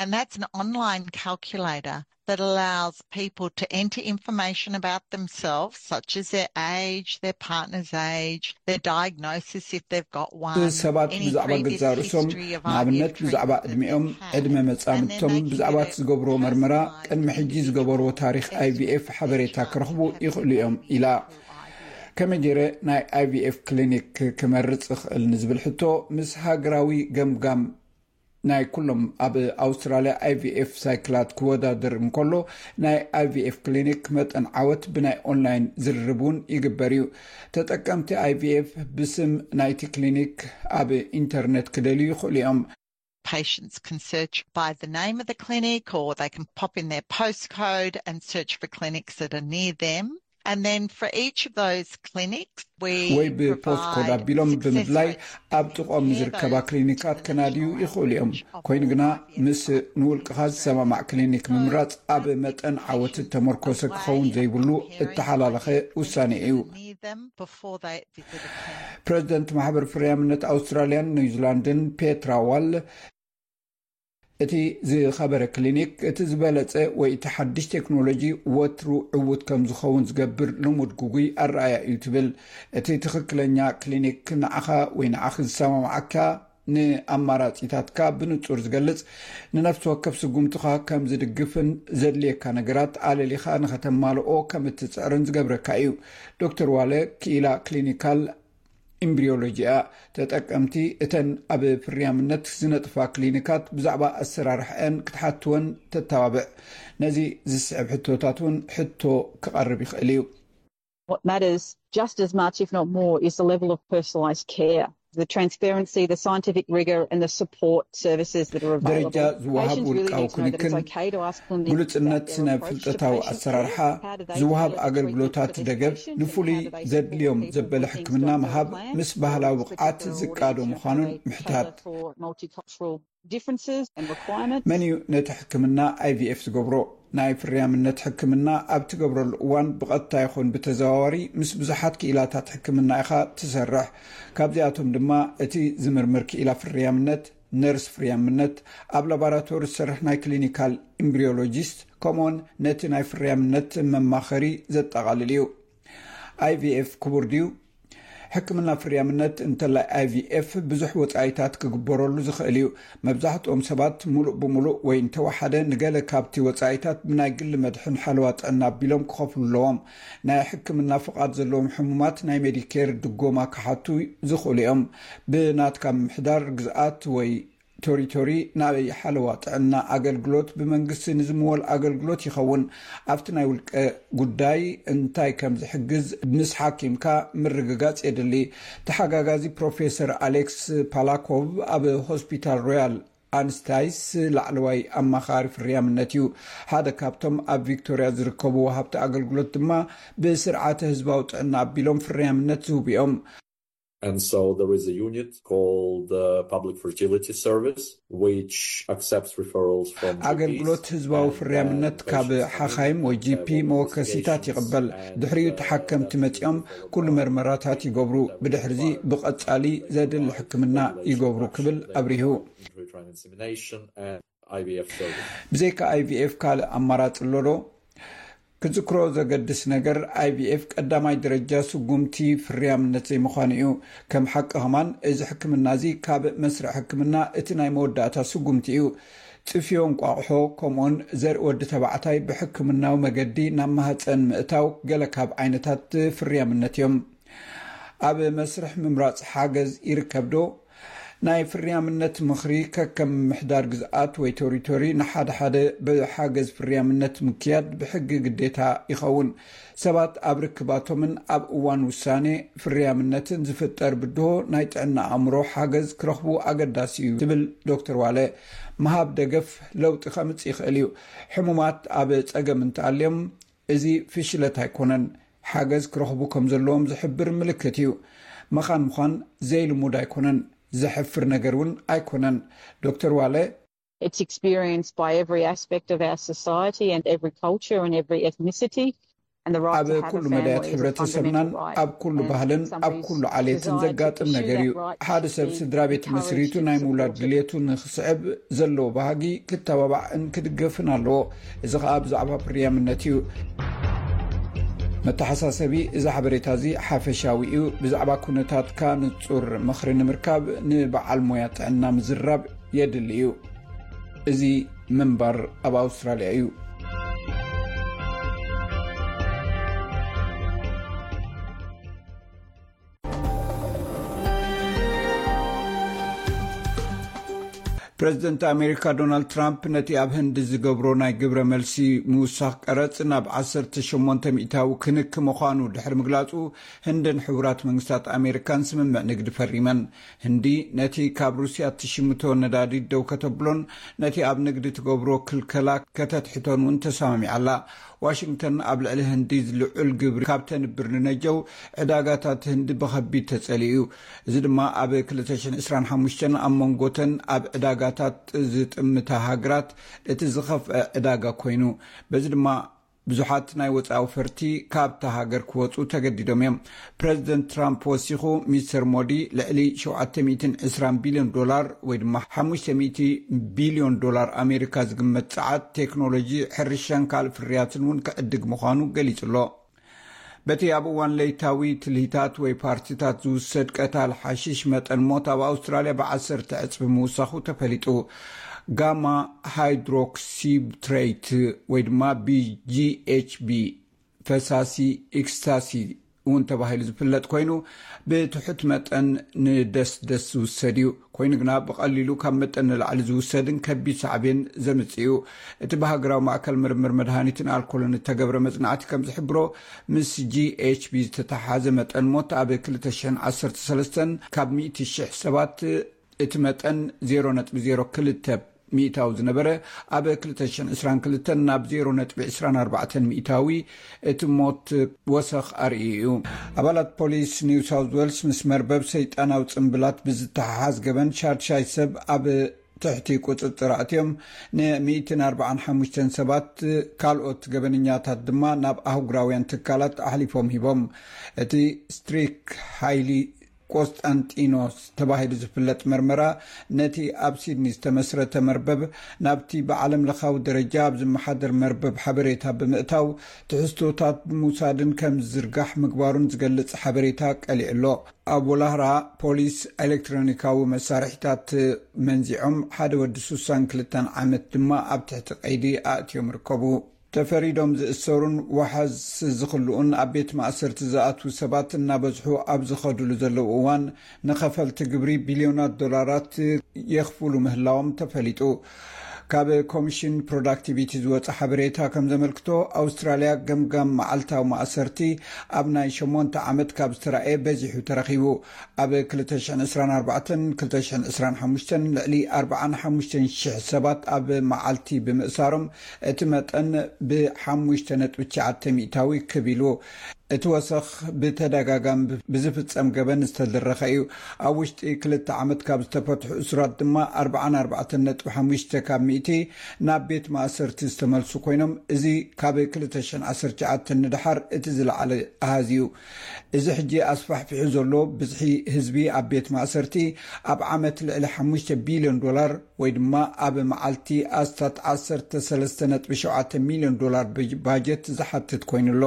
And that's an online calculator that allows people to enter information about themselves, such as their age, their partner's age, their diagnosis if they've got one, ሰባት any ብዛዕባ previous ገዛ ርእሶም፣ history of ንኣብነት I V F ብዛዕባ treatment that ዕድሜኦም፣ they've had, ዕድመ and then መጻምድቶም፣ they can ብዛዕባ get እቲ ዝገብርዎ መርመራ፣ personalised ቅድሚ ሕጂ individual ዝገበርዎ ታሪኽ I V F personalised ሓበሬታ care ክረኽቡ plan ይኽእሉ እዮም ኢላ። Through I V F. ከመይ ገይረ ናይ I V F ክሊኒክ ክመርጽ እኽእል ንዝብል ሕቶ፣ ምስ ሃገራዊ ገምጋም ናይ ኩሎም ኣብ ኣውስትራልያ I V F ሳይክላት ክወዳደር እንከሎ፣ ናይ I V F ክሊኒክ መጠን ዓወት ብናይ ኦንላይን ዝርርብ እውን ይግበር እዩ። ተጠቀምቲ I V F ብስም ናይቲ ክሊኒክ ኣብ ኢንተርነት ክደልዩ ይኽእሉ እዮም። Patients can search by the name of the clinic, or they can pop in their postcode and search for clinics that are near them. And then for each of those clinics, we ወይ ብፖስት ኮድ provide ኣቢሎም success ብምድላይ rates ኣብ ጥቕኦም ዝርከባ ክሊኒካት ከናድዩ ይኽእሉ እዮም። ኮይኑ ግና ምስ ንውልቅኻ ዝሰማማዕ ክሊኒክ ምምራጽ ኣብ መጠን ዓወት ዝተመርኮሰ ክኸውን ዘይብሉ እተሓላለኸ ውሳኔ እዩ። Near them before they visit a clinic. ፕረዚደንት ማሕበር ፍርያምነት ኣውስትራልያን ኒውዚላንድን ፔትራ ዋል፣ እቲ ዝኸበረ ክሊኒክ፣ እቲ ዝበለጸ ወይ እቲ ሓድሽ ቴክኖሎጂ ወትሩ ዕዉት ከም ዝኸውን ዝገብር ልሙድ ግጉይ ኣረኣእያ እዩ ትብል። እቲ ትኽክለኛ ክሊኒክ ንዓኻ ወይ ንዓኺ ዝሰማምዓካ ንኣማራጺታትካ ብንጹር ዝገልጽ፣ ንነፍሲ ወከፍ ስጉምትኻ ከም ዝድግፍን ዘድልየካ ነገራት ኣለሊኻ ንኸተማልኦ ከም እትጽዕርን ዝገብረካ እዩ። ዶክተር ዋለ ክኢላ ክሊኒካል ኢምብሪዮሎጂ እያ። ተጠቀምቲ እተን ኣብ ፍርያምነት ዝነጥፋ ክሊኒካት ብዛዕባ ኣሰራርሕአን ክትሓትወን ተተባብዕ። ነዚ ዝስዕብ ሕቶታት እውን ሕቶ ክቐርብ ይኽእል እዩ። What matters just as much, if not more, is the level of personalised care, the transparency, the scientific rigour and the support services that are available. ደረጃ ዝወሃብ ውልቃዊ ክንክን፣ ግሉጽነት፣ ስነ ፍልጠታዊ ኣሰራርሓ፣ ዝወሃብ ኣገልግሎታት ደገፍ፣ ንፍሉይ ዘድልዮም ዘበለ ሕክምና ምሃብ፣ ምስ ባህላዊ ብቕዓት ዝቃዶ ምዃኑን ምሕታት። መን እዩ ነቲ ሕክምና ኣይቪኤፍ ዝገብሮ? ናይ ፍርያምነት ሕክምና ኣብ ትገብረሉ እዋን ብቐጥታ ይኹን ብተዘዋዋሪ ምስ ብዙሓት ክኢላታት ሕክምና ኢኻ ትሰርሕ። ካብዚኣቶም ድማ እቲ ዝምርምር ክኢላ ፍርያምነት፣ ነርስ ፍርያምነት፣ ኣብ ላቦራቶሪ ዝሰርሕ ናይ ክሊኒካል ኢምብሪዮሎጂስት፣ ከምኡውን ነቲ ናይ ፍርያምነት መማኸሪ ዘጠቓልል እዩ። ኣይቪኤፍ ክቡር ድዩ? ሕክምና ፍርያምነት እንተላይ ኣይቪኤፍ ብዙሕ ወጻኢታት ክግበረሉ ዝኽእል እዩ። መብዛሕትኦም ሰባት ሙሉእ ብሙሉእ ወይ እንተወሓደ ንገለ ካብቲ ወጻኢታት ብናይ ግሊ መድሕን ሓለዋ ጥዕና ኣቢሎም ክኸፍሉ ኣለዎም። ናይ ሕክምና ፍቓድ ዘለዎም ሕሙማት ናይ ሜዲኬር ድጎማ ክሓቱ ዝኽእሉ እዮም። ብናትካ ምምሕዳር ግዝኣት ወይ ቶሪቶሪ ናበይ ሓለዋ ጥዕና ኣገልግሎት ብመንግስቲ ንዝምወል ኣገልግሎት ይኸውን። ኣብቲ ናይ ውልቀ ጉዳይ እንታይ ከም ዝሕግዝ ምስ ሓኪምካ ምርግጋጽ የድሊ። ተሓጋጋዚ ፕሮፌሰር ኣሌክስ ፓላኮቭ ኣብ ሆስፒታል ሮያል ኣንስታይስ ላዕለዋይ ኣማኻሪ ፍርያምነት እዩ። ሓደ ካብቶም ኣብ ቪክቶሪያ ዝርከቡ ወሃብቲ ኣገልግሎት ድማ ብስርዓተ ህዝባዊ ጥዕና ኣቢሎም ፍርያምነት ዝህቡ እዮም። And so there is a unit called the Public Fertility Service, which accepts referrals from G Ps. ኣገልግሎት ህዝባዊ ፍርያምነት ካብ ሓኻይም ወይ ጂ ፒ መወከሲታት ይቕበል። ድሕሪኡ ተሓከምቲ መጺኦም ኩሉ መርመራታት ይገብሩ። ብድሕርዚ ብቐጻሊ ዘድሊ ሕክምና ይገብሩ ክብል ኣብሪሁ። Intrauterine insemination and I V F service. ብዘይካ ኣይቪኤፍ ካልእ ኣማራጺ ኣሎ ዶ? ክዝክሮ ዘገድስ ነገር፣ ኣይቪኤፍ ቀዳማይ ደረጃ ስጉምቲ ፍርያምነት ዘይምዃኑ እዩ። ከም ሓቂ ከማን፣ እዚ ሕክምና እዚ ካብ መስርዕ ሕክምና እቲ ናይ መወዳእታ ስጉምቲ እዩ። ጽፍዮ እንቋቑሖ ከምኡውን ዘርኢ ወዲ ተባዕታይ ብሕክምናዊ መገዲ ናብ ማህጸን ምእታው ገለ ካብ ዓይነታት ፍርያምነት እዮም። ኣብ መስርሕ ምምራጽ ሓገዝ ይርከብ ዶ? ናይ ፍርያምነት ምኽሪ ከከም ምምሕዳር ግዝኣት ወይ ቶሪቶሪ ንሓደ ሓደ ብሓገዝ ፍርያምነት ምክያድ ብሕጊ ግዴታ ይኸውን። ሰባት ኣብ ርክባቶምን ኣብ እዋን ውሳኔ ፍርያምነትን ዝፍጠር ብድሆ ናይ ጥዕና ኣእምሮ ሓገዝ ክረኽቡ ኣገዳሲ እዩ ትብል ዶክተር ዋለ። ምሃብ ደገፍ ለውጢ ከምጽእ ይኽእል እዩ። ሕሙማት ኣብ ጸገም እንተኣልዮም እዚ ፍሽለት ኣይኮነን። ሓገዝ ክረኽቡ ከም ዘለዎም ዝሕብር ምልክት እዩ። መኻን ምዃን ዘይልሙድ ኣይኮነን፣ ዘሕፍር ነገር እውን ኣይኮነን። ዶክተር ዋለ It's experienced by every aspect of our society and every culture and every ethnicity. And the right ኣብ to have a ኩሉ family መዳያት is a ሕብረተሰብናን fundamental right. ኣብ ኩሉ And ባህልን some ኣብ these ኩሉ ዓሌትን desire to ዘጋጥም pursue ነገር that እዩ። right ሓደ should ሰብ be ስድራ ቤት encouraged መስሪቱ and ናይ ምውላድ supported. ድልየቱ ንክስዕብ ዘለዎ ባህጊ ክተባባዕን ክድገፍን ኣለዎ። እዚ ኸኣ ብዛዕባ ፍርያምነት እዩ። መተሓሳሰቢ፣ እዚ ሓበሬታ እዚ ሓፈሻዊ እዩ። ብዛዕባ ኩነታትካ ንጹር ምኽሪ ንምርካብ ንበዓል ሞያ ጥዕና ምዝራብ የድሊ እዩ። እዚ ምንባር ኣብ ኣውስትራልያ እዩ። ፕረዚደንት ኣሜሪካ ዶናልድ ትራምፕ ነቲ ኣብ ህንዲ ዝገብሮ ናይ ግብረ መልሲ ምውሳኽ ቀረጽ ናብ ዓሰርተ ሸሞንተ ሚእታዊ ክንክ ምዃኑ ድሕሪ ምግላጹ፣ ህንድን ሕቡራት መንግስታት ኣሜሪካን ስምምዕ ንግዲ ፈሪመን። ህንዲ ነቲ ካብ ሩስያ እትሽምቶ ነዳዲ ደው ከተብሎን ነቲ ኣብ ንግዲ ትገብሮ ክልከላ ከተትሕቶን እውን ተሰማሚዓ ኣላ። ዋሽንግተን ኣብ ልዕሊ ህንዲ ልዑል ግብሪ ካብ ተንብር ንነጀው፣ ዕዳጋታት ህንዲ ብኸቢድ ተጸሊኡ እዩ። እዚ ድማ ኣብ ክልተ ሽሕን ዕስራን ሓሙሽተን ኣብ መንጎተን ኣብ ዕዳጋታት ዝጥምታ ሃገራት እቲ ዝኸፍአ ዕዳጋ ኮይኑ፣ በዚ ድማ ብዙሓት ናይ ወጻኢ ኣውፈርቲ ካብታ ሃገር ክወጹ ተገዲዶም እዮም። ፕረዚደንት ትራምፕ ወሲኹ፣ ሚስተር ሞዲ ልዕሊ ሸውዓተ ሚእትን ዕስራን ቢልዮን ዶላር ወይ ድማ ሓሙሽተ ሚእቲ ቢልዮን ዶላር ኣሜሪካ ዝግመት ጸዓት፣ ቴክኖሎጂ፣ ሕርሻን ካልእ ፍርያትን እውን ክዕድግ ምዃኑ ገሊጹ ኣሎ። በቲ ኣብ እዋን ለይታዊ ትልሂታት ወይ ፓርቲታት ዝውሰድ ቀታል ሓሽሽ፣ መጠን ሞት ኣብ ኣውስትራልያ ብዓሰርተ ዕጽፊ ምውሳኹ ተፈሊጡ። ጋማ ሃይድሮክሲብትሬት ወይ ድማ ቢ ጂ ኤች ቢ፣ ፈሳሲ ኤክስታሲ እውን ተባሂሉ ዝፍለጥ ኮይኑ፣ ብትሑት መጠን ንደስደስ ዝውሰድ እዩ። ኮይኑ ግና፣ ብቐሊሉ ካብ መጠን ንላዕሊ ዝውሰድን ከቢድ ሳዕቤን ዘምጽእ እዩ። እቲ ብሃገራዊ ማእከል ምርምር መድሃኒትን ኣልኮልን እተገብረ መጽናዕቲ ከም ዝሕብሮ፣ ምስ ጂ ኤች ቢ ዝተተሓሓዘ መጠን ሞት ኣብ ክልተ ሽሕን ዓሰርተ ሰለስተን ካብ ሚእቲ ሽሕ ሰባት እቲ መጠን ዜሮ ነጥቢ ዜሮ ክልተ ሚእታዊ ዝነበረ፣ ኣብ ክልተ ሽሕን ዕስራን ክልተን ናብ ዜሮ ነጥቢ ዕስራን ኣርባዕተን ሚእታዊ እቲ ሞት ወሰኽ ኣርእዩ እዩ። ኣባላት ፖሊስ ኒው ሳውዝ ዌልስ፣ ምስ መርበብ ሰይጣናዊ ጽምብላት ብዝተሓሓዝ ገበን፣ ሻድሻይ ሰብ ኣብ ትሕቲ ቁጽጽር ኣእትዮም፣ ን ሚእትን ኣርባዓን ሓሙሽተን ሰባት፣ ካልኦት ገበነኛታት ድማ ናብ ኣህጉራውያን ትካላት ኣሕሊፎም ሂቦም። እቲ ስትሪክ ሓይሊ ቆስጣንጢኖስ ተባሂሉ ዝፍለጥ መርመራ፣ ነቲ ኣብ ሲድኒ ዝተመስረተ መርበብ ናብቲ ብዓለም ለኻዊ ደረጃ ኣብ ዝመሓደር መርበብ ሓበሬታ ብምእታው፣ ትሕዝቶታት ብምውሳድን ከም ዝዝርጋሕ ምግባሩን ዝገልጽ ሓበሬታ ቀሊዑ ኣሎ። ኣብ ወላህራ፣ ፖሊስ ኤሌክትሮኒካዊ መሳርሒታት መንዚዖም፣ ሓደ ወዲ ሱሳን ክልተን ዓመት ድማ ኣብ ትሕቲ ቀይዲ ኣእትዮም ይርከቡ። ተፈሪዶም ዝእሰሩን ዋሕስ ዝኽልኡን ኣብ ቤት ማእሰርቲ ዝኣትዉ ሰባት እናበዝሑ ኣብ ዝኸድሉ ዘለዉ እዋን፣ ንኸፈልቲ ግብሪ ቢልዮናት ዶላራት የኽፍሉ ምህላዎም ተፈሊጡ። ካብ ኮሚሽን ፕሮዳክቲቪቲ ዝወጸ ሓበሬታ ከም ዘመልክቶ፣ ኣውስትራልያ ገምጋም መዓልታዊ ማእሰርቲ ኣብ ናይ ሸሞንተ ዓመት ካብ ዝተራእየ በዚሑ ተረኺቡ። ኣብ ክልተ ሽሕን ዕስራን ኣርባዕተን ክልተ ሽሕን ዕስራን ሓሙሽተን ልዕሊ ኣርባዓን ሓሙሽተን ሽሕ ሰባት ኣብ መዓልቲ ብምእሳሮም፣ እቲ መጠን ብሓሙሽተ ነጥቢ ትሽዓተ ሚእታዊ ክብ ኢሉ። እቲ ወሰኽ ብተደጋጋሚ ብዝፍጸም ገበን ዝተደረኸ እዩ። ኣብ ውሽጢ ክልተ ዓመት ካብ ዝተፈትሑ እሱራት ድማ ኣርባዓን ኣርባዕተን ነጥቢ ሓሙሽተ ካብ ሚእቲ ናብ ቤት ማእሰርቲ ዝተመልሱ ኮይኖም፣ እዚ ካብ ክልተ ሽሕን ዓሰርተ ትሽዓተን ንደሓር እቲ ዝለዓለ ኣሃዝ እዩ። እዚ ሕጂ ኣስፋሕፊሑ ዘሎ ብዝሒ ህዝቢ ኣብ ቤት ማእሰርቲ፣ ኣብ ዓመት ልዕሊ ሓሙሽተ ቢልዮን ዶላር ወይ ድማ ኣብ መዓልቲ ኣስታት ዓሰርተ ሰለስተ ነጥቢ ሸውዓተ ሚልዮን ዶላር ባጀት ዝሓትት ኮይኑ ኣሎ።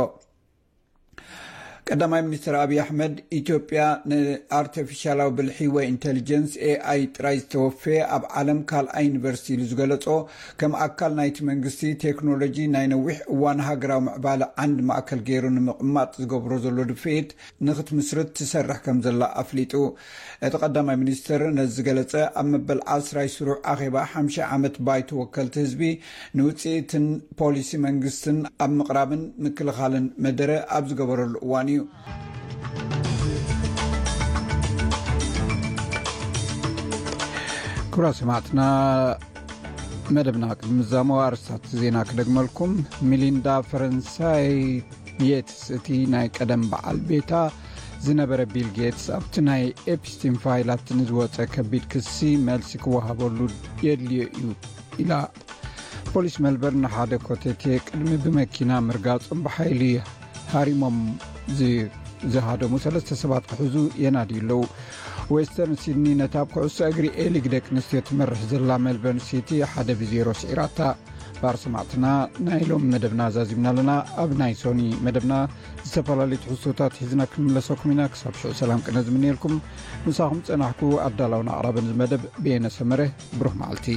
ቀዳማይ ሚኒስትር ኣብይ ኣሕመድ፣ ኢትዮጵያ ንኣርቲፊሻላዊ ብልሒ ወይ ኢንቴሊጀንስ፣ ኤ ኣይ፣ ጥራይ ዝተወፈየ ኣብ ዓለም ካልኣይ ዩኒቨርሲቲ ኢሉ ዝገለጾ፣ ከም ኣካል ናይቲ መንግስቲ ቴክኖሎጂ ናይ ነዊሕ እዋን ሃገራዊ ምዕባለ ዓንዲ ማእከል ገይሩ ንምቕማጥ ዝገብሮ ዘሎ ድፍኢት ንኽትምስርት ትሰርሕ ከም ዘላ ኣፍሊጡ። እቲ ቀዳማይ ሚኒስትር ነዚ ዝገለጸ፣ ኣብ መበል ዓስራይ ስሩዕ ኣኼባ ሓምሻይ ዓመት ባይቶ ወከልቲ ህዝቢ ንውጽኢትን ፖሊሲ መንግስትን ኣብ ምቕራብን ምክልኻልን መደረ ኣብ ዝገበረሉ እዋን እዩ። ክቡራት ሰማዕትና፣ መደብና ቅድሚ ምዛሙ ኣርእስታት ዜና ክደግመልኩም። ሚሊንዳ ፈረንሳይ ጌትስ፣ እቲ ናይ ቀደም በዓል ቤታ ዝነበረ ቢል ጌትስ፣ ኣብቲ ናይ ኤፕስቲን ፋይላት ንዝወጸ ከቢድ ክሲ መልሲ ክወሃበሉ የድልዮ እዩ ኢላ። ፖሊስ ሜልበርን ንሓደ ኮተቴ ቅድሚ ብመኪና ምርጋጾም ብሓይሊ ሃሪሞም ዝ-፣ ዝሃደሙ ሰለስተ ሰባት ክሕዙ የናድዩ ኣለዉ። ዌስተርን ሲድኒ ነታ ኣብ ኩዕሶ እግሪ ኤሊግ ደቂ ኣንስትዮ ትመርሕ ዘላ ሜልበርን ሲቲ ሓደ ብዜሮ ስዒራታ። ባር ሰማዕትና፣ ናይ ሎም መደብና ዛዚምና ኣለና። ኣብ ናይ ሶኒ መደብና ዝተፈላለዩ ትሕዝቶታት ሒዝና ክንምለሰኩም ኢና። ክሳብ ሽዑ ሰላም ቅነ ዝምንየልኩም፣ ምሳኹም ጸናሕኩ ኣዳላውን ኣቕራብን እዚ መደብ ብየነ ሰመረ። ብሩኽ መዓልቲ።